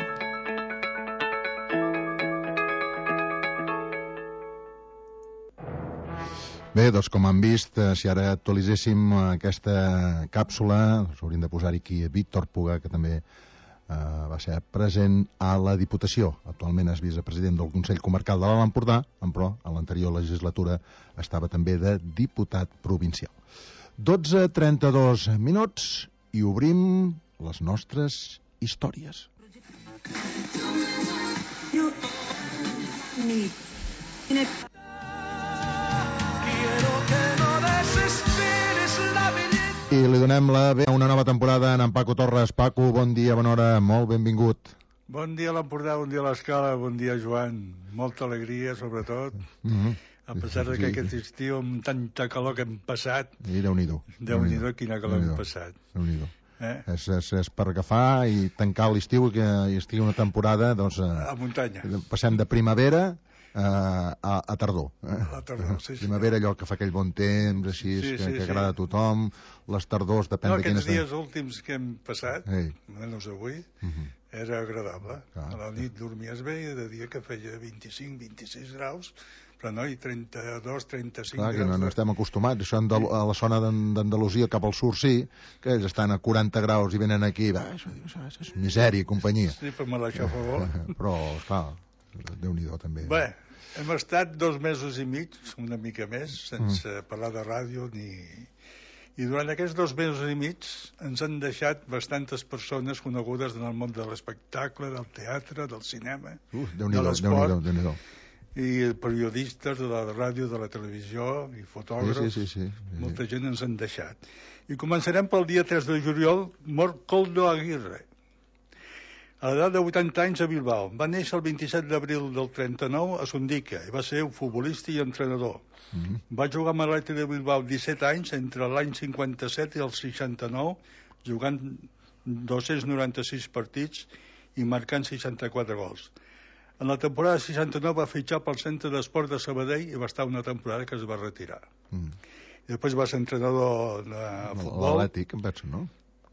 Bé, doncs com han vist, si ara actualitzéssim aquesta càpsula, s'haurien de posar aquí Víctor Puga, que també eh, va ser present a la Diputació. Actualment és vicepresident del Consell Comarcal de l'Alt Empordà, però a l'anterior legislatura estava també de diputat provincial. dotze trenta-dos minuts i obrim les nostres històries. I li donem la bé a una nova temporada a en Paco Torres. Paco, bon dia, bona hora, molt benvingut. Bon dia a l'Empordà, bon dia a l'Escala, bon dia Joan. Molta alegria, sobretot. Mm-hmm. A pesar de que sí, aquest estiu, amb tanta calor que hem passat... I Déu-n'hi-do. Déu-n'hi-do, quina calor hem passat. Déu-n'hi-do. Eh? És, és, és per agafar i tancar l'estiu i que hi estigui una temporada, doncs... A muntanya. Passem de primavera a, a, a tardor. Eh? A tardor, sí, sí. Primavera, allò que fa aquell bon temps, així, sí, que, sí, que agrada sí. a tothom. Les tardors, depèn no, de quines... Aquests dies últims que hem passat, Ei. menys avui, uh-huh. era agradable. Clar. A la nit dormies bé i de dia que feia vint-i-cinc vint-i-sis graus, però no, i trenta-dos trenta-cinc Clar, graus. Que no, no estem acostumats. Això a la zona d'Andalusia cap al sur sí, que ells estan a quaranta graus i venen aquí, va, això, això, això és misèria i companyia. Sí, però me l'això a favor. Però, esclar, Déu-n'hi-do també. Bé, hem estat dos mesos i mig, una mica més, sense mm. parlar de ràdio ni... I durant aquests dos mesos i mig ens han deixat bastantes persones conegudes en el món de l'espectacle, del teatre, del cinema, uh, de l'esport, Déu-n'hi-do, i periodistes de la ràdio, de la televisió, i fotògrafs. Sí, sí, sí, sí, sí. Molta gent ens han deixat. I començarem pel dia tres de juliol, mort Coldo Aguirre. A l'edat de vuitanta anys a Bilbao. Va néixer el vint-i-set d'abril del trenta-nou a Sondica i va ser un futbolista i entrenador. Mm-hmm. Va jugar amb l'Atlètic de Bilbao disset anys entre l'any cinquanta-set i el seixanta-nou jugant dos-cents noranta-sis partits i marcant seixanta-quatre gols. En la temporada seixanta-nou va fitxar pel Centre d'Esport de Sabadell i va estar una temporada que es va retirar. Mm. I després va ser entrenador de futbol. L'Atlètic, em penso, no?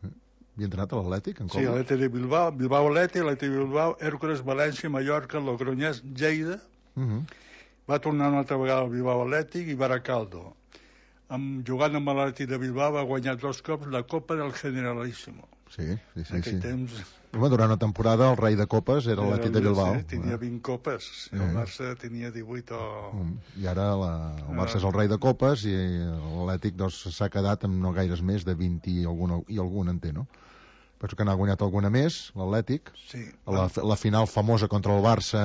Havia entrenat a l'Atlètic? Sí, l'Atlètic de Bilbao, Bilbao Atlètic, l'Atlètic de Bilbao, Hèrcules, València, Mallorca, Logroñés, Lleida. Mm-hmm. Va tornar una altra vegada al Bilbao Atlètic i Baracaldo. Amb, jugant amb l'Atlètic de Bilbao va guanyar dos cops la Copa del Generalíssimo. Sí, sí, sí. En aquell sí. temps... Home, durant una temporada el rei de copes era l'Atlètic de Bilbao. Sí, tenia vint copes, sí. El Barça tenia divuit o... I ara la, el Barça és el rei de copes i l'Atlètic doncs, s'ha quedat amb no gaires més de vint i algun, i algun en té, no? Penso que n'ha guanyat alguna més, l'Atlètic. Sí. La, la final famosa contra el Barça,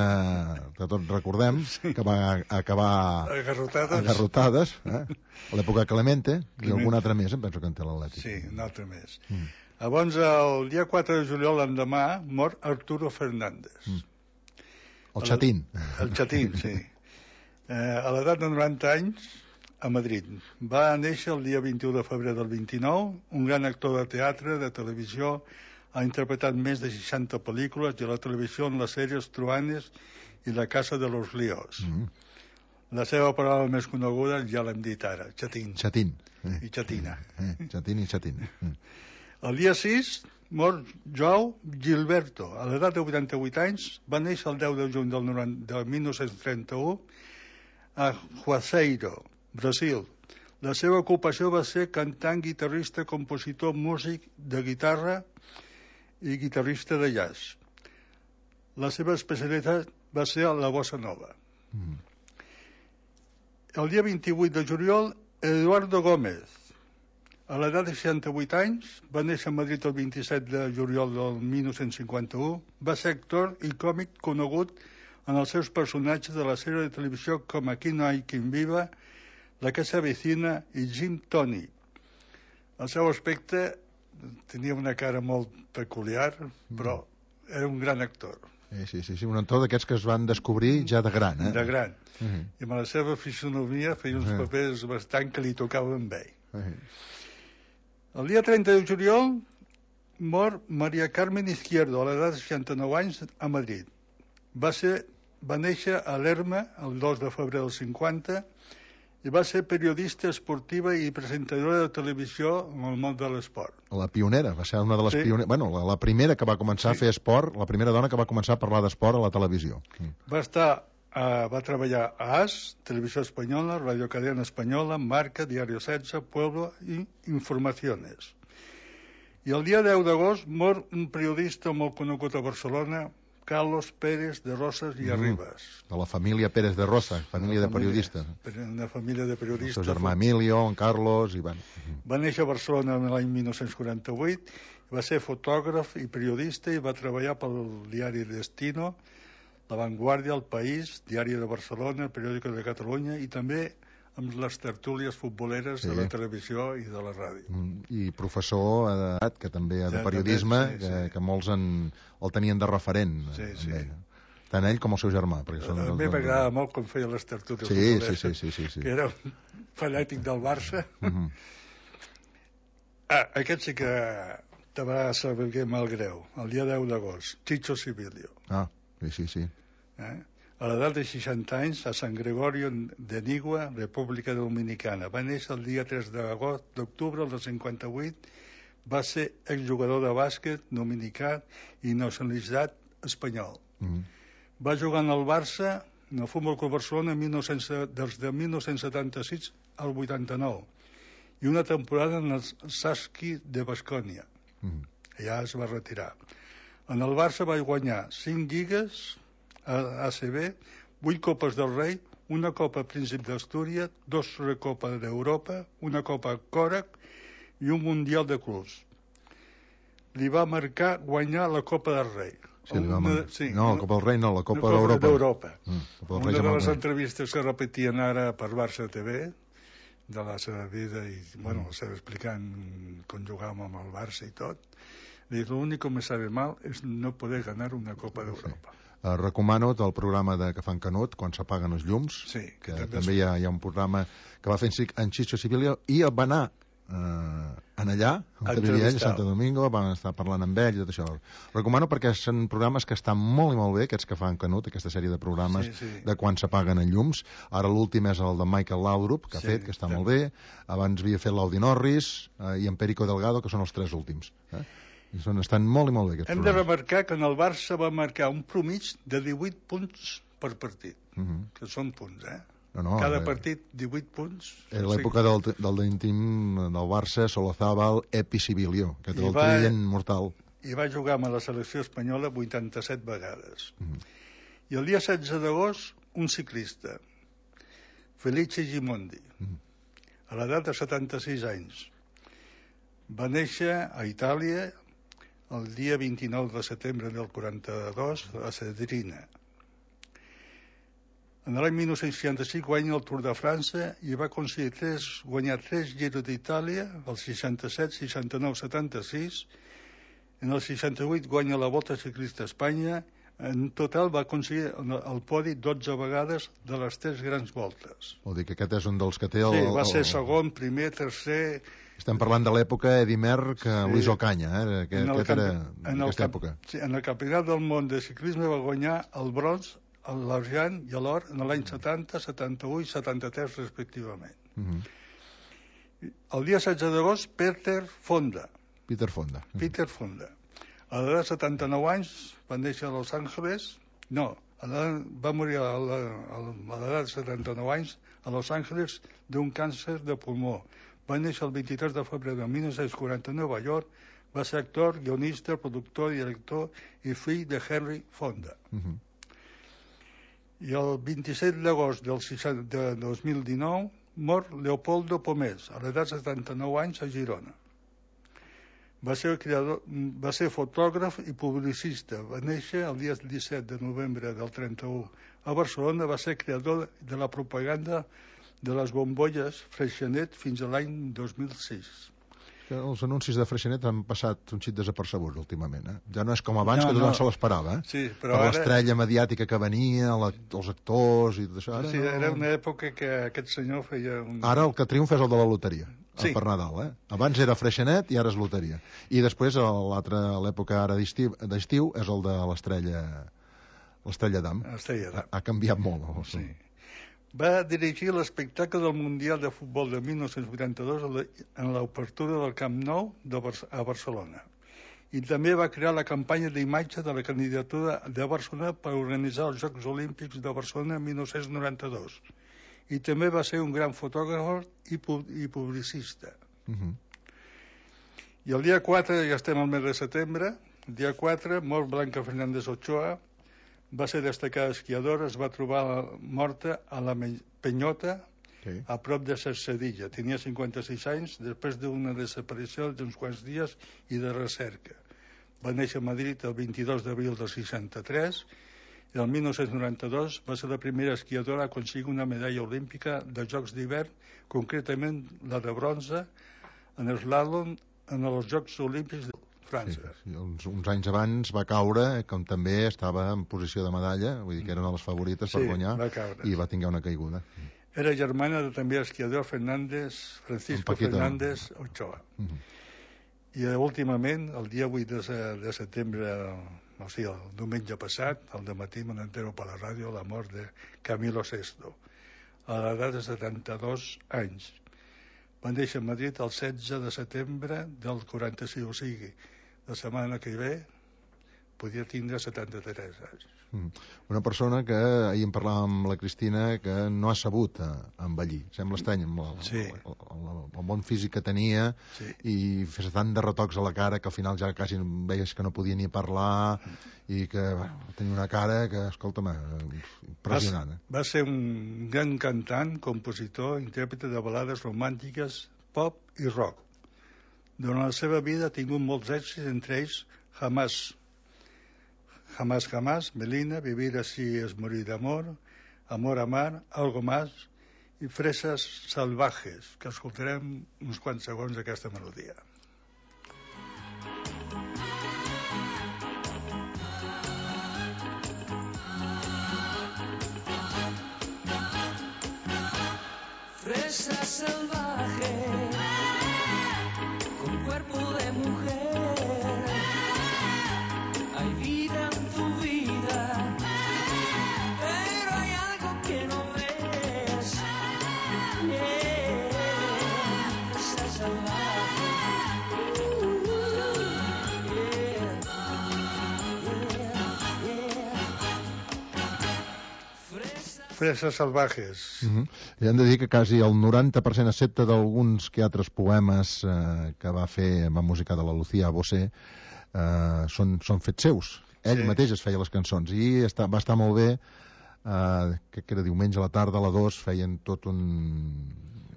que tots recordem, sí. Que va acabar agarrotades, agarrotades eh? A l'època Clemente, Clemente, i alguna altra més, em penso que en té l'Atlètic. Sí, una altra més. Mm. Abans, el dia quatre de juliol, l'endemà, mor Arturo Fernández. Mm. El xatín. El, el xatín, sí. Eh, a l'edat de noranta anys, a Madrid. Va néixer el dia vint-i-u de febrer del vint-i-nou, un gran actor de teatre, de televisió, ha interpretat més de seixanta pel·lícules i a la televisió en les sèries Truanes i La casa de los líos. Mm. La seva paraula més coneguda ja l'hem dit ara, xatín. Xatín. Eh. I xatina. Eh. Xatín i xatín. Eh. El dia sis mor João Gilberto. A l'edat de vuitanta-vuit anys, va néixer el deu de juny del, del mil nou-cents trenta-u a Juazeiro, Brasil. La seva ocupació va ser cantant, guitarrista, compositor, músic de guitarra i guitarrista de jazz. La seva especialitat va ser la bossa nova. Mm. El dia vint-i-vuit de juliol, Eduardo Gómez. A l'edat de seixanta-vuit anys, va néixer a Madrid el vint-i-set de juliol del mil nou-cents cinquanta-u, va ser actor i còmic conegut en els seus personatges de la sèrie de televisió com Aquí no hay quien viva, La que s'avecina i Jim Tony. El seu aspecte tenia una cara molt peculiar, però era un gran actor. Sí, sí, sí, sí. Un actor d'aquests que es van descobrir ja de gran, eh? De gran. Uh -huh. I amb la seva fisonomia feia uns uh -huh. papers bastant que li tocaven bé. Uh -huh. El dia trenta de juliol mor Maria Carmen Izquierdo, a l'edat de seixanta-nou anys, a Madrid. Va, ser, va néixer a Lerma el dos de febrer del cinquanta i va ser periodista esportiva i presentadora de televisió en el món de l'esport. La pionera, va ser una de les sí. pioneres... Bueno, la, la primera que va començar sí. a fer esport, la primera dona que va començar a parlar d'esport a la televisió. Mm. Va estar, uh, va treballar a A S, Televisió Espanyola, Radio Cadena Espanyola, Marca, Diario setze, Pueblo i Informaciones. I el dia deu d'agost mor un periodista molt conegut a Barcelona, Carlos Pérez de Rosas i Arribas. De la família Pérez de Rosa, família de periodistes. Una família de periodistes. El seu germà Emilio, en Carlos... I van. Va néixer a Barcelona l'any mil nou-cents quaranta-vuit, va ser fotògraf i periodista i va treballar pel diari Destino, La Vanguardia, El País, Diari de Barcelona, El Periòdico de Catalunya i també amb les tertúlies futboleres sí. de la televisió i de la ràdio. I professor d'edat, que també de ja, periodisme, també, sí, que, sí. que molts en, el tenien de referent. Sí, sí. Ell. Tant ell com el seu germà. Són a mi m'agradava molt com feia les tertúlies sí, futboleres, sí, sí, sí, sí, sí. que era un fanàtic del Barça. Uh-huh. Ah, aquest sí que te va saber mal greu, el dia deu d'agost, Chicho Sibilio. Ah, sí, sí, sí. Eh? A l'edat de seixanta anys, a San Gregorio de Nigua, República Dominicana. Va néixer el dia tres d'octubre del cinquanta-vuit, va ser exjugador de bàsquet dominicà i nacionalitzat espanyol. Mm. Va jugar en el Barça, en el Futbol Club Barcelona, mil nou-cents, des de mil nou-cents setanta-sis al vuitanta-nou, i una temporada en el Saski de Bascònia. Mm. Allà es va retirar. En el Barça va guanyar cinc lligues a A C B, vuit copes del Rei, una copa Príncip d'Astúries, dos Recopa d'Europa, una copa Còrac i un Mundial de Clubs. Li va marcar guanyar la Copa del Rei. Sí, li va mar... sí, no, la Copa del Rei no, la Copa d'Europa. d'Europa. Mm, una de les entrevistes que repetien ara per Barça T V, de la seva vida, i bueno, mm. seva explicant com jugàvem amb el Barça i tot, dic, l'únic que me sabe mal és no poder ganar una Copa d'Europa. Sí. Uh, recomano el programa de que fan Canut quan s'apaguen els llums, sí, que, que també, també hi, ha, hi ha un programa que va fer en Chicho Sibilio i va anar eh, en allà, on vivia ell, a Santo Domingo, van estar parlant amb ell i tot això. Recomano perquè són programes que estan molt i molt bé, aquests que fan Canut, aquesta sèrie de programes sí, sí. de quan s'apaguen els llums. Ara l'últim és el de Michael Laudrup, que ha sí, fet, que està sí. molt bé. Abans havia fet l'Audi Norris eh, i en Perico Delgado, que són els tres últims. Eh? I són, estan molt i molt bé, aquests Hem programes. de remarcar que en el Barça va marcar un promig de divuit punts per partit, uh -huh. que són punts, eh? No, no, cada eh, partit divuit punts. En l'època del, del team del Barça, Solozábal, Epi Sibilio, que té el trident mortal. I va jugar amb la selecció espanyola vuitanta-set vegades. Mm. I el dia setze d'agost, un ciclista, Felice Gimondi, mm. a l'edat de setanta-sis anys. Va néixer a Itàlia el dia vint-i-nou de setembre del quaranta-dos a Cedrina. En l'any dinou seixanta-cinc guanya el Tour de França i va aconseguir tres, guanyar tres Giro d'Itàlia, el seixanta-set, seixanta-nou, setanta-sis. En el seixanta-vuit guanya la Volta Ciclista a Espanya. En total va aconseguir el podi dotze vegades de les tres grans voltes. Vol dir que aquest és un dels que té el... Sí, va ser segon, primer, tercer... Estem parlant de l'època Eddy Merckx, sí. Luis Ocaña, eh? que, aquest camp... era en aquesta època. Sí, en el Campionat del Món de Ciclisme va guanyar el bronze, l'argent i l'or en l'any setanta, setanta-u i setanta-tres respectivament. Uh-huh. El dia setze d'agost, Peter Fonda. Peter Fonda. Uh-huh. Peter Fonda. A l'edat de setanta-nou anys va néixer a Los Angeles. No, va morir a l'edat de setanta-nou anys a Los Angeles d'un càncer de pulmó. Va néixer el vint-i-tres de febrer de dinou quaranta a Nova York. Va ser actor, guionista, productor, director i fill de Henry Fonda. Uh-huh. I el vint-i-set d'agost del de dos mil dinou mor Leopoldo Pomés, a l'edat de setanta-nou anys, a Girona. Va ser, creador, va ser fotògraf i publicista. Va néixer el dia disset de novembre del trenta-u a Barcelona. Va ser creador de la propaganda de les bombolles Freixenet fins a l'any dos mil sis. Els anuncis de Freixenet han passat un xic desapercebuts últimament. Eh? Ja no és com abans, no, que tothom no. se l'esperava. Eh? Sí, per ara... l'estrella mediàtica que venia, la, els actors i tot això. Ara sí, no... era una època que aquest senyor feia... Un... Ara el que triomfa és el de la loteria, sí. el per Nadal. Eh? Abans era Freixenet i ara és loteria. I després, l'època ara d'estiu és el de l'estrella l'estrella d'Am. Ha, ha canviat molt. No? Sí. Va dirigir l'espectacle del Mundial de Futbol de dinou vuitanta-dos en l'obertura del Camp Nou de Bar- a Barcelona. I també va crear la campanya d'imatge de la candidatura de Barcelona per organitzar els Jocs Olímpics de Barcelona en dinou noranta-dos. I també va ser un gran fotògraf i, pu- i publicista. Uh-huh. I el dia quatre, ja estem al mes de setembre, el dia quatre, mor Blanca Fernández Ochoa. Va ser destacada esquiadora, es va trobar morta a la Penyota, sí. a prop de Cercedilla. Tenia cinquanta-sis anys, després d'una desaparició d'uns quants dies i de recerca. Va néixer a Madrid el vint-i-dos d'abril del seixanta-tres i el dinou noranta-dos va ser la primera esquiadora a aconseguir una medalla olímpica de Jocs d'hivern, concretament la de bronze, en l'eslàlom en els Jocs Olímpics de França. Sí, sí. Uns, uns anys abans va caure, com també estava en posició de medalla, vull dir que era una de les favorites sí, per guanyar, va caure. i va tinguer una caiguda. Era germana de també esquiador Fernández, Francisco Fernández Ochoa. Uh -huh. I últimament, el dia vuit de, de setembre, o sigui, el diumenge passat, al dematí me n'entero per la ràdio, la mort de Camilo Sesto, a l'edat de setanta-dos anys. Va néixer a Madrid el setze de setembre del quaranta-sis, o sigui, la setmana que ve podia tindre setanta-tres anys. Mm. Una persona que ahir en parlàvem amb la Cristina que no ha sabut envellir. Sembla estrany amb el, sí. el, el, el bon físic que tenia sí. i fes tant de retocs a la cara que al final ja quasi veies que no podia ni parlar i que bueno, tenia una cara que, escolta'm, impressionant. Eh? Va, va ser un gran cantant, compositor, intèrprete de balades romàntiques, pop i rock. Durant la seva vida ha tingut molts èxits, entre ells Jamás, Jamás, Jamás, Melina, Vivir así es morir de amor, Amor a mar, Algo más i Fresas salvajes, que escoltarem uns quants segons d'aquesta melodia. Fresas salvajes Fresas Salvajes. Uh -huh. I hem de dir que quasi el noranta per cent, excepte d'alguns que altres poemes eh, que va fer amb la música de la Lucía Bosé, eh, són, són fets seus. Ell sí. mateix es feia les cançons i està, va estar molt bé, eh, que era diumenge a la tarda a la dos, feien tot un,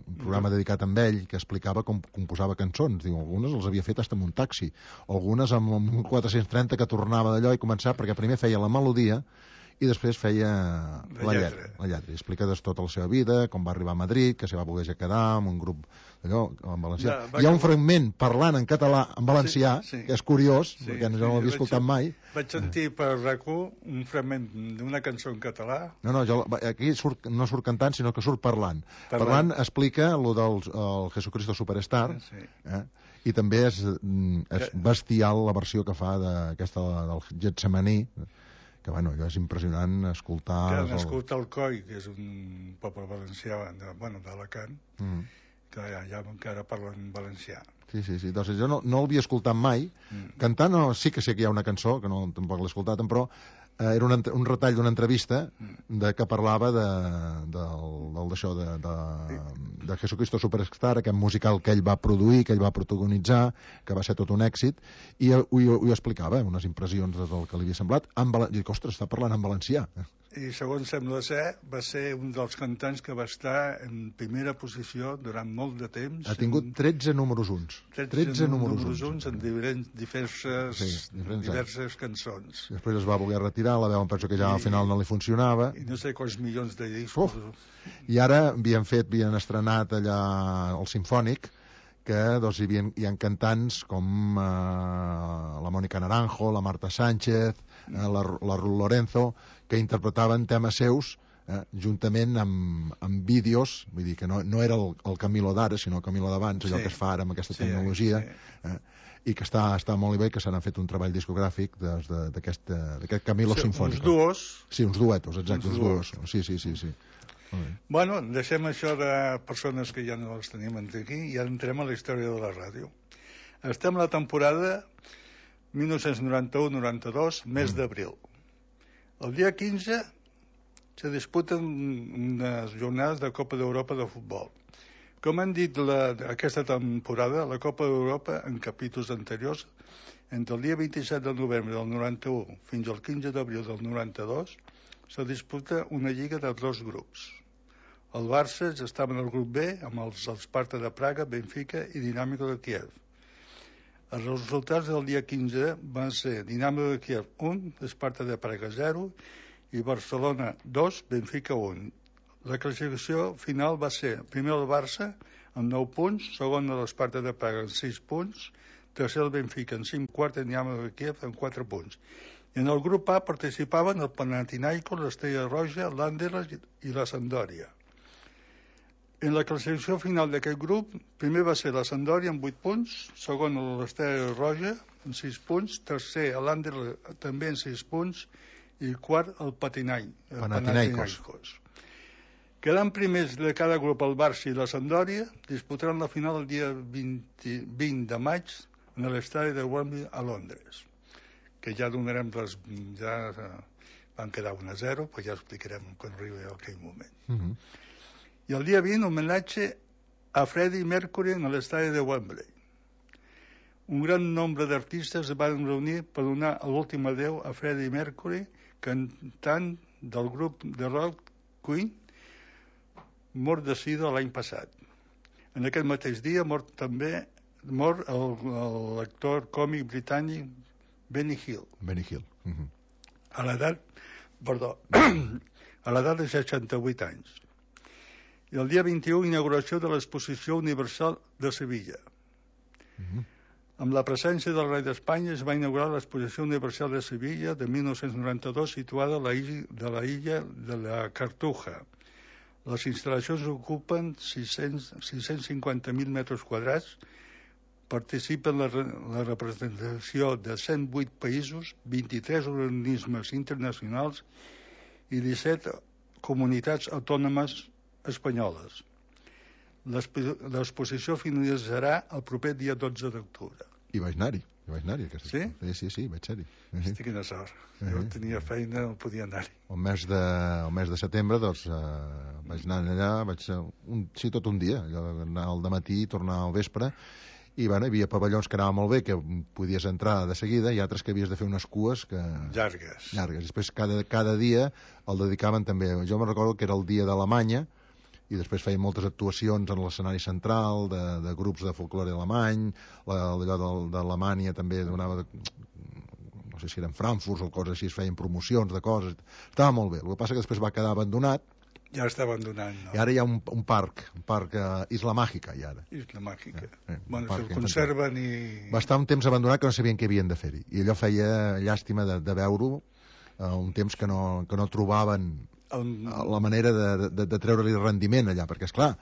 un programa dedicat a ell que explicava com composava cançons. Diu, algunes els havia fet hasta amb un taxi, algunes amb un quatre-cents trenta que tornava d'allò i començava, perquè primer feia la melodia i després feia la, la lletra. lletra. La lletra. I explica tota la seva vida, com va arribar a Madrid, que se va voler quedar amb un grup d'allò, en valencià. Ja, Hi ha un fragment parlant en català, en valencià, sí, sí. que és curiós, sí, perquè no sí, l'havia escoltat vaig, mai. Vaig sentir per R A C u un fragment d'una cançó en català. No, no, jo, aquí surt, no surt cantant, sinó que surt parlant. Parlant, parlant explica el del el Jesucristo Superstar, sí. eh? i també és, és bestial la versió que fa d'aquesta del Getsemaní, que bueno, és impressionant escoltar... Que escolta el Coi, que és un poble valencià, de, bueno, d'Alacant, mm. que ja, ja encara parlen valencià. Sí, sí, sí. Doncs jo no, no l'havia escoltat mai. Mm. Cantant no, sí que sé que hi ha una cançó, que no tampoc l'he escoltat, però eh, era un, un retall d'una entrevista mm. de, que parlava de, del, del, d'això, de, de, de Jesucristo Superstar, aquest musical que ell va produir, que ell va protagonitzar, que va ser tot un èxit, i ho, ho, ho explicava, unes impressions del que li havia semblat. En valen... I dic, ostres, està parlant en valencià. I segons sembla ser, va ser un dels cantants que va estar en primera posició durant molt de temps. Ha tingut tretze números uns. tretze números uns en diferents, diverses, sí, diverses cançons. Després es va voler retirar, la veu em penso que ja I, al final no li funcionava. I no sé quants milions de discos. Uf. I ara havien fet, havien estrenat allà el Simfònic, que doncs, hi, havia, hi ha cantants com eh, la Mònica Naranjo, la Marta Sánchez, eh, la, la Ruth Lorenzo, que interpretaven temes seus eh, juntament amb, amb vídeos, vull dir que no, no era el, el Camilo d'ara, sinó el Camilo d'abans, allò sí. que es fa ara amb aquesta sí, tecnologia, sí. eh, i que està, està molt bé, que se n'ha fet un treball discogràfic d'aquest Camilo sí, Sinfònic. Uns duos. Sí, uns duetos, exacte, uns, uns duos. duos. Sí, sí, sí, sí. Bueno, deixem això de persones que ja no les tenim aquí i ja entrem a la història de la ràdio. Estem a la temporada mil nou-cents noranta-u noranta-dos, mes mm. d'abril. El dia quinze se disputen unes jornades de Copa d'Europa de futbol. Com han dit la, aquesta temporada, la Copa d'Europa, en capítols anteriors, entre el dia vint-i-set de novembre del noranta-u fins al quinze d'abril del noranta-dos, se disputa una lliga de dos grups. El Barça estava en el grup B, amb els Sparta de Praga, Benfica i Dinàmico de Kiev. Els resultats del dia quinze van ser Dinàmico de Kiev un, Sparta de Praga zero i Barcelona dos, Benfica un. La classificació final va ser primer el Barça amb nou punts, segon l'Sparta de Praga amb sis punts, tercer el Benfica amb cinc, quart el Dinàmico de Kiev amb quatre punts. I en el grup A participaven el Panathinaikos, l'Estrella Roja, l'Anderlecht i la Sampdoria. En la classificació final d'aquest grup, primer va ser la Sampdoria amb vuit punts, segon l'Estrella Roja amb sis punts, tercer l'Anderlecht també amb sis punts i quart el Panathinaikos. Quedant primers de cada grup el Barça i la Sampdoria, disputaran la final el dia vint, vint de maig en l'estadi de Wembley a Londres, que ja donarem les... ja van quedar un a zero, però ja explicarem quan arribi aquell moment. Uh-huh. I el dia vint, homenatge a Freddie Mercury en l'estadi de Wembley. Un gran nombre d'artistes es van reunir per donar l'últim adeu a Freddie Mercury, cantant del grup de rock Queen, mort de sida l'any passat. En aquest mateix dia mort també mort l'actor còmic britànic Benny Hill. Benny Hill. Uh-huh. A l'edat, perdó, a l'edat de seixanta-vuit anys. I el dia vint-i-u, inauguració de l'Exposició Universal de Sevilla. Uh-huh. Amb la presència del rei d'Espanya es va inaugurar l'Exposició Universal de Sevilla de mil nou-cents noranta-dos, situada a la illa de la illa de la Cartuja. Les instal·lacions ocupen sis-cents cinquanta mil metres quadrats, participen la, la representació de cent vuit països, vint-i-tres organismes internacionals i disset comunitats autònomes espanyoles. L'exposició finalitzarà el proper dia dotze d'octubre. I vaig anar-hi. Jo vaig anar-hi. Aquesta... Sí? Sí, sí, sí, vaig ser-hi. Hosti, quina sort. Jo tenia feina, no podia anar-hi. El mes de, el mes de setembre, doncs, eh, vaig anar allà, vaig ser un, sí, tot un dia, allò, anar al dematí, tornar al vespre, i bueno, hi havia pavellons que anaven molt bé, que podies entrar de seguida, i altres que havies de fer unes cues que... Llargues. Llargues. Després, cada, cada dia el dedicaven també. Jo me recordo que era el dia d'Alemanya, i després feien moltes actuacions en l'escenari central de, de grups de folclore alemany, la, allò d'Alemanya també donava, de, no sé si eren Frankfurt o coses així, es feien promocions de coses, estava molt bé. El que passa que després va quedar abandonat. Ja està abandonat, no? I ara hi ha un, un parc, un parc uh, Isla Màgica, i ara. Isla Màgica. Eh, eh, bueno, se'l conserven i... Va estar un temps abandonat que no sabien què havien de fer-hi, i allò feia llàstima de, de veure-ho, uh, un temps que no, que no trobaven la manera de, de, de treure-li rendiment allà, perquè, esclar,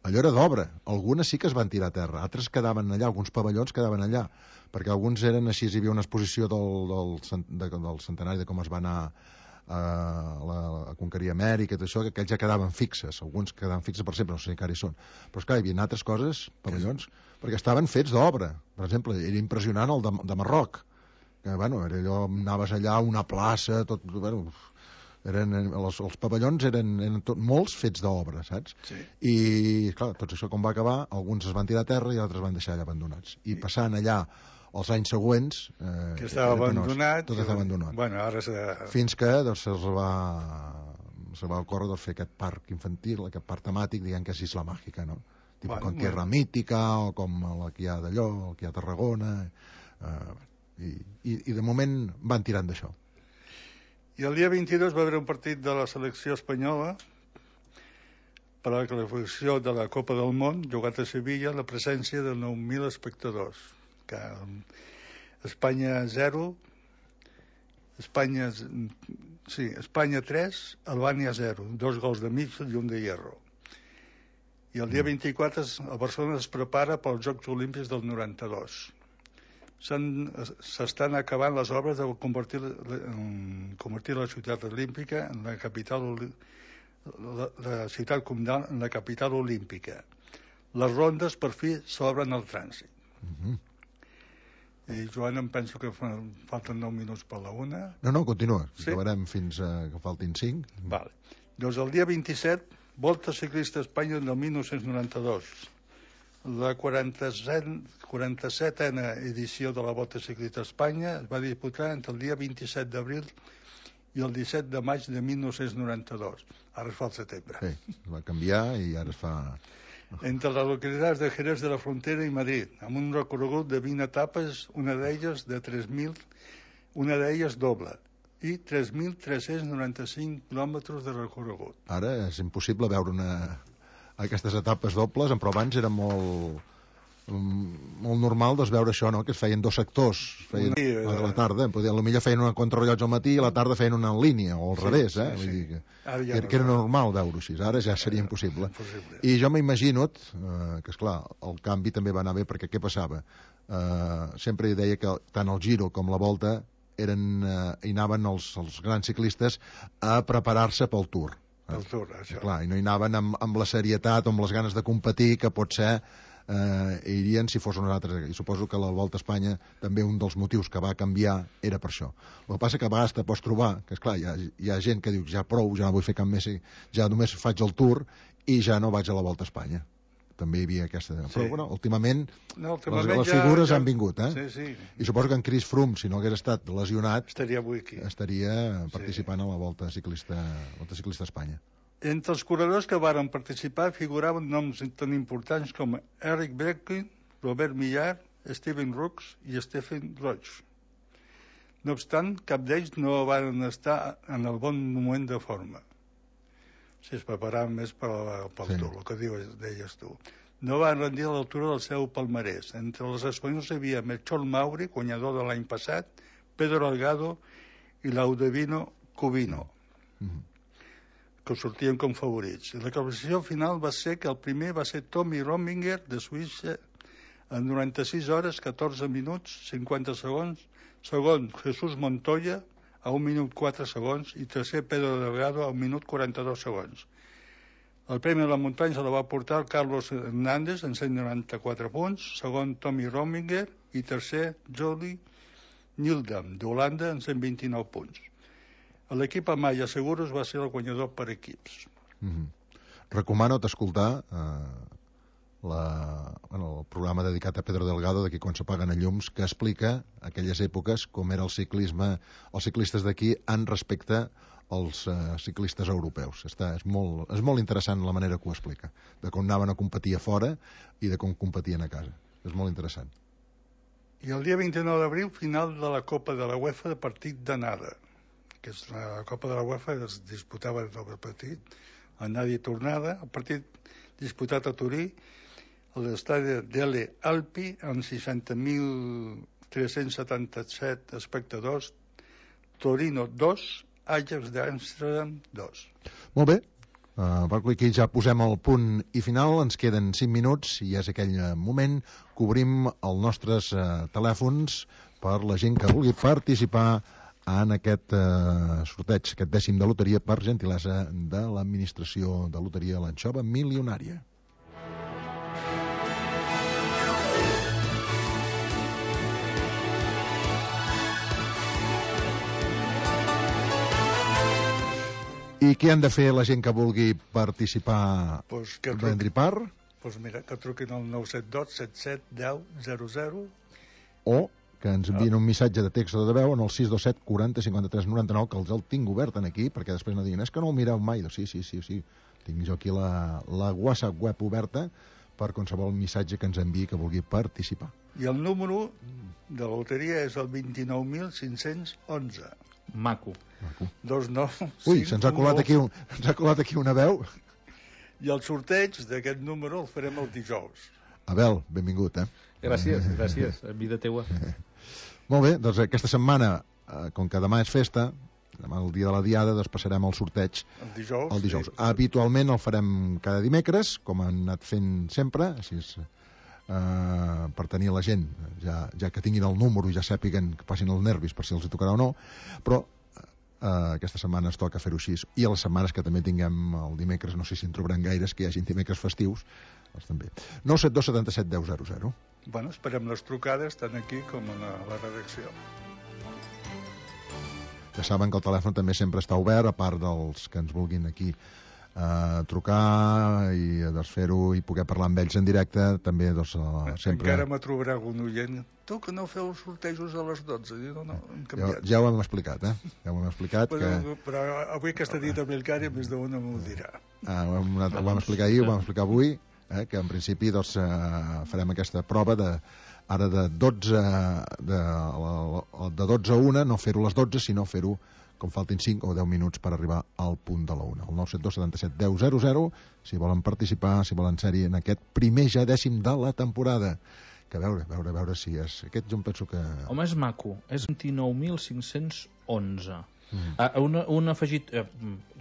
allò era d'obra. Algunes sí que es van tirar a terra, altres quedaven allà, alguns pavellons quedaven allà, perquè alguns eren així, hi havia una exposició del, del, de, del centenari de com es va anar a, la, a conquerir Amèrica i tot això, que aquells ja quedaven fixes, alguns quedaven fixes per sempre, no sé si encara hi són, però esclar, hi havia altres coses, pavellons, perquè estaven fets d'obra. Per exemple, era impressionant el de, de Marroc, que, bueno, era allò, anaves allà a una plaça, tot, bueno... Eren, els, els pavellons eren, eren tot, molts fets d'obra, saps? Sí. I, clar, tot això com va acabar, alguns es van tirar a terra i altres van deixar allà abandonats. I passant allà els anys següents... Eh, que estava abandonat. Tot estava abandonat. Bueno, ara se... Fins que doncs, se'ls va, se va ocórrer doncs, fer aquest parc infantil, aquest parc temàtic, diguem que és Isla Màgica, no? Tipo bueno, com Tierra bueno. Mítica, o com la que hi ha d'allò, el que hi ha a Tarragona... Eh, i, i, I de moment van tirant d'això. I el dia vint-i-dos va haver un partit de la selecció espanyola per a la qualificació de la Copa del Món, jugat a Sevilla, la presència de nou mil espectadors. Que Espanya zero, Espanya, sí, Espanya tres, Albània zero, dos gols de mig i un de hierro. I el dia vint-i-quatre el Barcelona es prepara pels Jocs Olímpics del noranta-dos. S'estan acabant les obres de convertir, convertir la ciutat olímpica en la capital la, la ciutat comtal en la capital olímpica. Les rondes per fi s'obren al trànsit. Uh-huh. I Joan, em penso que falten nou minuts per la una. No, no, continua. Sí? Acabarem fins a que faltin cinc. Vale. Doncs el dia vint-i-set, Volta Ciclista a Espanya del dinou noranta-dos. La quaranta-setena edició de la Volta Ciclista a Espanya es va disputar entre el dia vint-i-set d'abril i el disset de maig de dinou noranta-dos. Ara es fa el setembre. Sí, es va canviar i ara es fa... Entre les localitats de Jerez de la Frontera i Madrid, amb un recorregut de vint etapes, una d'elles de tres mil, una d'elles doble, i tres mil tres-cents noranta-cinc quilòmetres de recorregut. Ara és impossible veure una... aquestes etapes dobles, però abans era molt molt normal doncs, veure això, no? Que es feien dos sectors, feien sí, a la tarda, potser feien una contrarrellotge al matí i a la tarda feien una en línia, o al sí, revés, eh? Sí, Vull dir que, ja que, no que era normal veure-ho així, ara ja seria sí, impossible. impossible. I jo m'imagino eh, que, esclar, el canvi també va anar bé, perquè què passava? Eh, sempre deia que tant el Giro com la Volta eren, eh, hi anaven els, els grans ciclistes a preparar-se pel Tour. El Tour, això. Clar, i no hi anaven amb, amb la serietat o amb les ganes de competir que pot ser eh, irien si fos uns altres. I suposo que la Volta a Espanya també un dels motius que va canviar era per això. El que passa que a vegades te pots trobar que, esclar, hi ha, hi ha gent que diu ja prou, ja no vull fer cap més, ja només faig el Tour i ja no vaig a la Volta a Espanya. També hi havia aquesta... Sí. Però, bueno, últimament, no, últimament les, les figures ja, ja... han vingut, eh? Sí, sí. I suposo que en Chris Froome, si no hagués estat lesionat... Estaria avui aquí. Estaria participant sí. a la Volta Ciclista, Volta Ciclista a Espanya. Entre els corredors que varen participar figuraven noms tan importants com Eric Breitling, Robert Millar, Steven Rooks i Stephen Roach. No obstant, cap d'ells no van estar en el bon moment de forma. Si es preparaven més per pel sí. Tour, el que dius, deies tu. No van rendir a l'altura del seu palmarès. Entre els espanyols hi havia Melchor Mauri, guanyador de l'any passat, Pedro Algado i Laudevino Cubino, mm-hmm. que sortien com favorits. La classificació final va ser que el primer va ser Tommy Rominger, de Suïssa, en noranta-sis hores, catorze minuts, cinquanta segons, segon Jesús Montoya, a un minut quatre segons, i tercer Pedro Delgado, a un minut quaranta-dos segons. El Premi de la Muntanya se la va portar el Carlos Hernández en cent noranta-quatre punts, segon Tommy Rominger i tercer Jody Nildam d'Holanda en cent vint-i-nou punts. L'equip Amaya Seguros va ser el guanyador per equips. Mm-hmm. Recomano t'escoltar eh, la, bueno, el programa dedicat a Pedro Delgado d'aquí quan s'apaguen els llums, que explica aquelles èpoques com era el ciclisme, els ciclistes d'aquí en respecte als uh, ciclistes europeus. Està, és, molt, és molt interessant la manera que ho explica, de com anaven a competir a fora i de com competien a casa. És molt interessant. I el dia vint-i-nou d'abril, final de la Copa de la UEFA de partit d'anada, que és la Copa de la UEFA, es disputava el partit, anada i tornada, el partit disputat a Turí, a l'estadi Delle Alpi, amb seixanta mil tres-cents setanta-set espectadors, Torino dos, Ajax d'Amsterdam dos. Molt bé, uh, aquí ja posem el punt i final, ens queden cinc minuts i és aquell moment que obrim els nostres uh, telèfons per la gent que vulgui participar en aquest uh, sorteig, aquest dècim de loteria per gentilesa de l'administració de loteria l'Anxova Milionària. I què han de fer la gent que vulgui participar pues que prendre part? Pues mira, que truquin al nou set dos set set deu zero zero o que ens envien un missatge de text o de veu en el sis dos set quaranta cinquanta tres noranta nou, que els el tinc obert aquí, perquè després no diguin, és que no ho mireu mai. Sí, sí, sí, sí. Tinc jo aquí la, la WhatsApp web oberta per qualsevol missatge que ens enviï que vulgui participar. I el número de la loteria és el vint-i-nou mil cinc-cents onze. Maco. Maco. Dos, nou, Ui, se'ns ha colat aquí, un, ens ha colat aquí una veu. I el sorteig d'aquest número el farem el dijous. Abel, benvingut, eh? Gràcies, gràcies, vida teua. Molt bé, doncs aquesta setmana, eh, com que demà és festa, demà el dia de la diada, doncs passarem el sorteig el dijous. El dijous. Sí. Habitualment el farem cada dimecres, com han anat fent sempre, així és, eh, per tenir la gent, ja, ja que tinguin el número i ja sàpiguen que passin els nervis per si els hi tocarà o no, però Uh, aquesta setmana es toca fer-ho així, i a les setmanes que també tinguem el dimecres, no sé si en trobaran gaires, que hi hagin dimecres festius, doncs també. nou set dos set set deu zero zero. Bueno, esperem les trucades tant aquí com a la, la redacció. Ja saben que el telèfon també sempre està obert, a part dels que ens vulguin aquí uh, trucar i doncs, fer-ho i poder parlar amb ells en directe, també doncs, uh, sempre... Encara me trobarà algun oient. Tu que no feu els sortejos a les dotze. No, no, hem ja, ja ho hem explicat, eh? Ja ho hem explicat. Però, que... però avui aquesta nit amb el Cari més d'una m'ho dirà. Ah, ho, hem, ho vam explicar ahir, ho vam explicar avui, eh? Que en principi doncs, uh, farem aquesta prova de ara de dotze de, de dotze a una, no fer-ho a les dotze, sinó fer-ho com faltin cinc o deu minuts per arribar al punt de la una. El nou set dos set set deu zero zero, si volen participar, si volen ser-hi en aquest primer ja dècim de la temporada. Que a veure, a veure, a veure si és... Aquest jo em penso que... Home, és maco. És vint-i-nou mil cinc-cents onze. Mm. Ah, un, un afegit... Eh,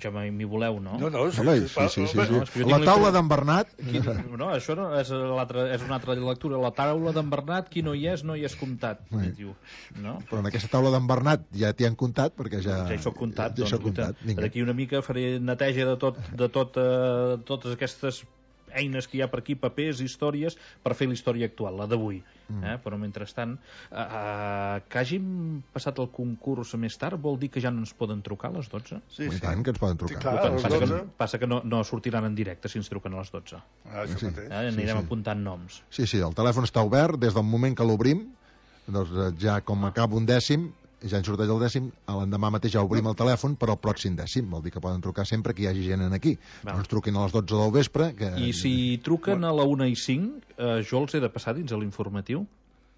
ja m'hi voleu, no? No, no, sí, sí, sí, sí, sí, sí. sí. La taula d'en Bernat... Qui... No, això no, és, és una altra lectura. La taula d'en Bernat, qui no hi és, no hi és comptat. Sí. Diu, no? Però en aquesta taula d'en Bernat ja t'hi han comptat, perquè ja... Ja hi soc comptat. Ja, ja doncs, comptat. D'aquí una mica faré neteja de, tot, de tot, eh, totes aquestes eines que hi ha per aquí, papers, històries, per fer la història actual, la d'avui. Mm. Eh? Però mentrestant, eh, eh, que hàgim passat el concurs més tard, vol dir que ja no ens poden trucar a les dotze? Sí, sí. I tant que ens poden trucar. Sí, clar, a les passa, dotze. que, passa que no, no sortiran en directe si ens truquen a les dotze. Ah, això sí. mateix. Eh? Anirem sí, sí. apuntant noms. Sí, sí, el telèfon està obert des del moment que l'obrim, doncs ja com acaba un dècim, ja en sorteix el dècim, l'endemà mateix ja obrim el telèfon per al pròxim dècim, vol dir que poden trucar sempre que hi hagi gent aquí. No ens truquin a les dotze del vespre. Que... I si truquen a la una i cinc, eh, jo els he de passar dins a l'informatiu?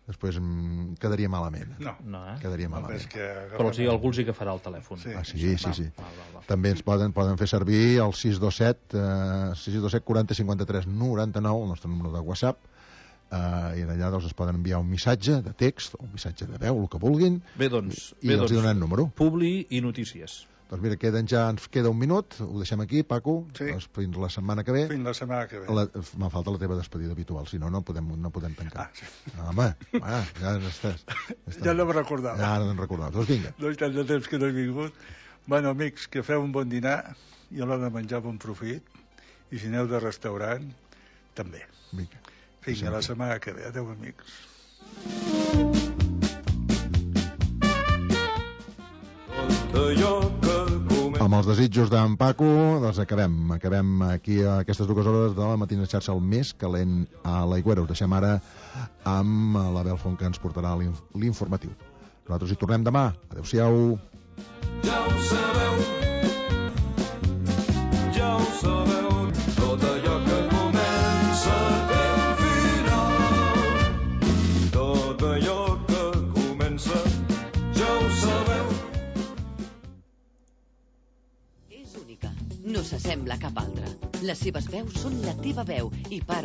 Després mm, quedaria malament. No, no eh? Quedaria malament. No, que... Però els, algú els hi agafarà el telèfon. Sí, ah, sí, sí, sí, sí. Va, va, va. També ens poden, poden fer servir el sis dos set, eh, sis dos set quaranta cinquanta tres noranta nou, el nostre número de WhatsApp, Uh, i allà doncs, es poden enviar un missatge de text o un missatge de veu, el que vulguin. Bé, doncs, i bé, els doncs, donaran número. Publi i notícies. Doncs mira, queden ja, ens queda un minut, ho deixem aquí, Paco, sí. doncs fins la setmana que ve. Fins la setmana que ve. La, me falta la teva despedida habitual, si no, no podem, no podem tancar. Ah, sí. ah, home, ah, ja estàs. estàs. Ja no em recordava. Ja no em recordava. Doncs vinga. No hi tant de temps que no he vingut. Bueno, amics, que feu un bon dinar i a l'hora de menjar bon profit. i si aneu de restaurant, també. Vinga. Fins a la setmana que ve. Adéu, amics. Amb els desitjos d'en Paco, doncs acabem. Acabem aquí a aquestes dues hores de la matina xarxa, el més calent a l'Aigüera. Us deixem ara amb la Belfont, que ens portarà l'informatiu. Nosaltres hi tornem demà. Adéu-siau. Ja ho sabeu, ja ho sabeu, tot allò que comença té un final. Tot allò que comença, ja ho sabeu. És única, no s'assembla a cap altra. Les seves veus són la teva veu i part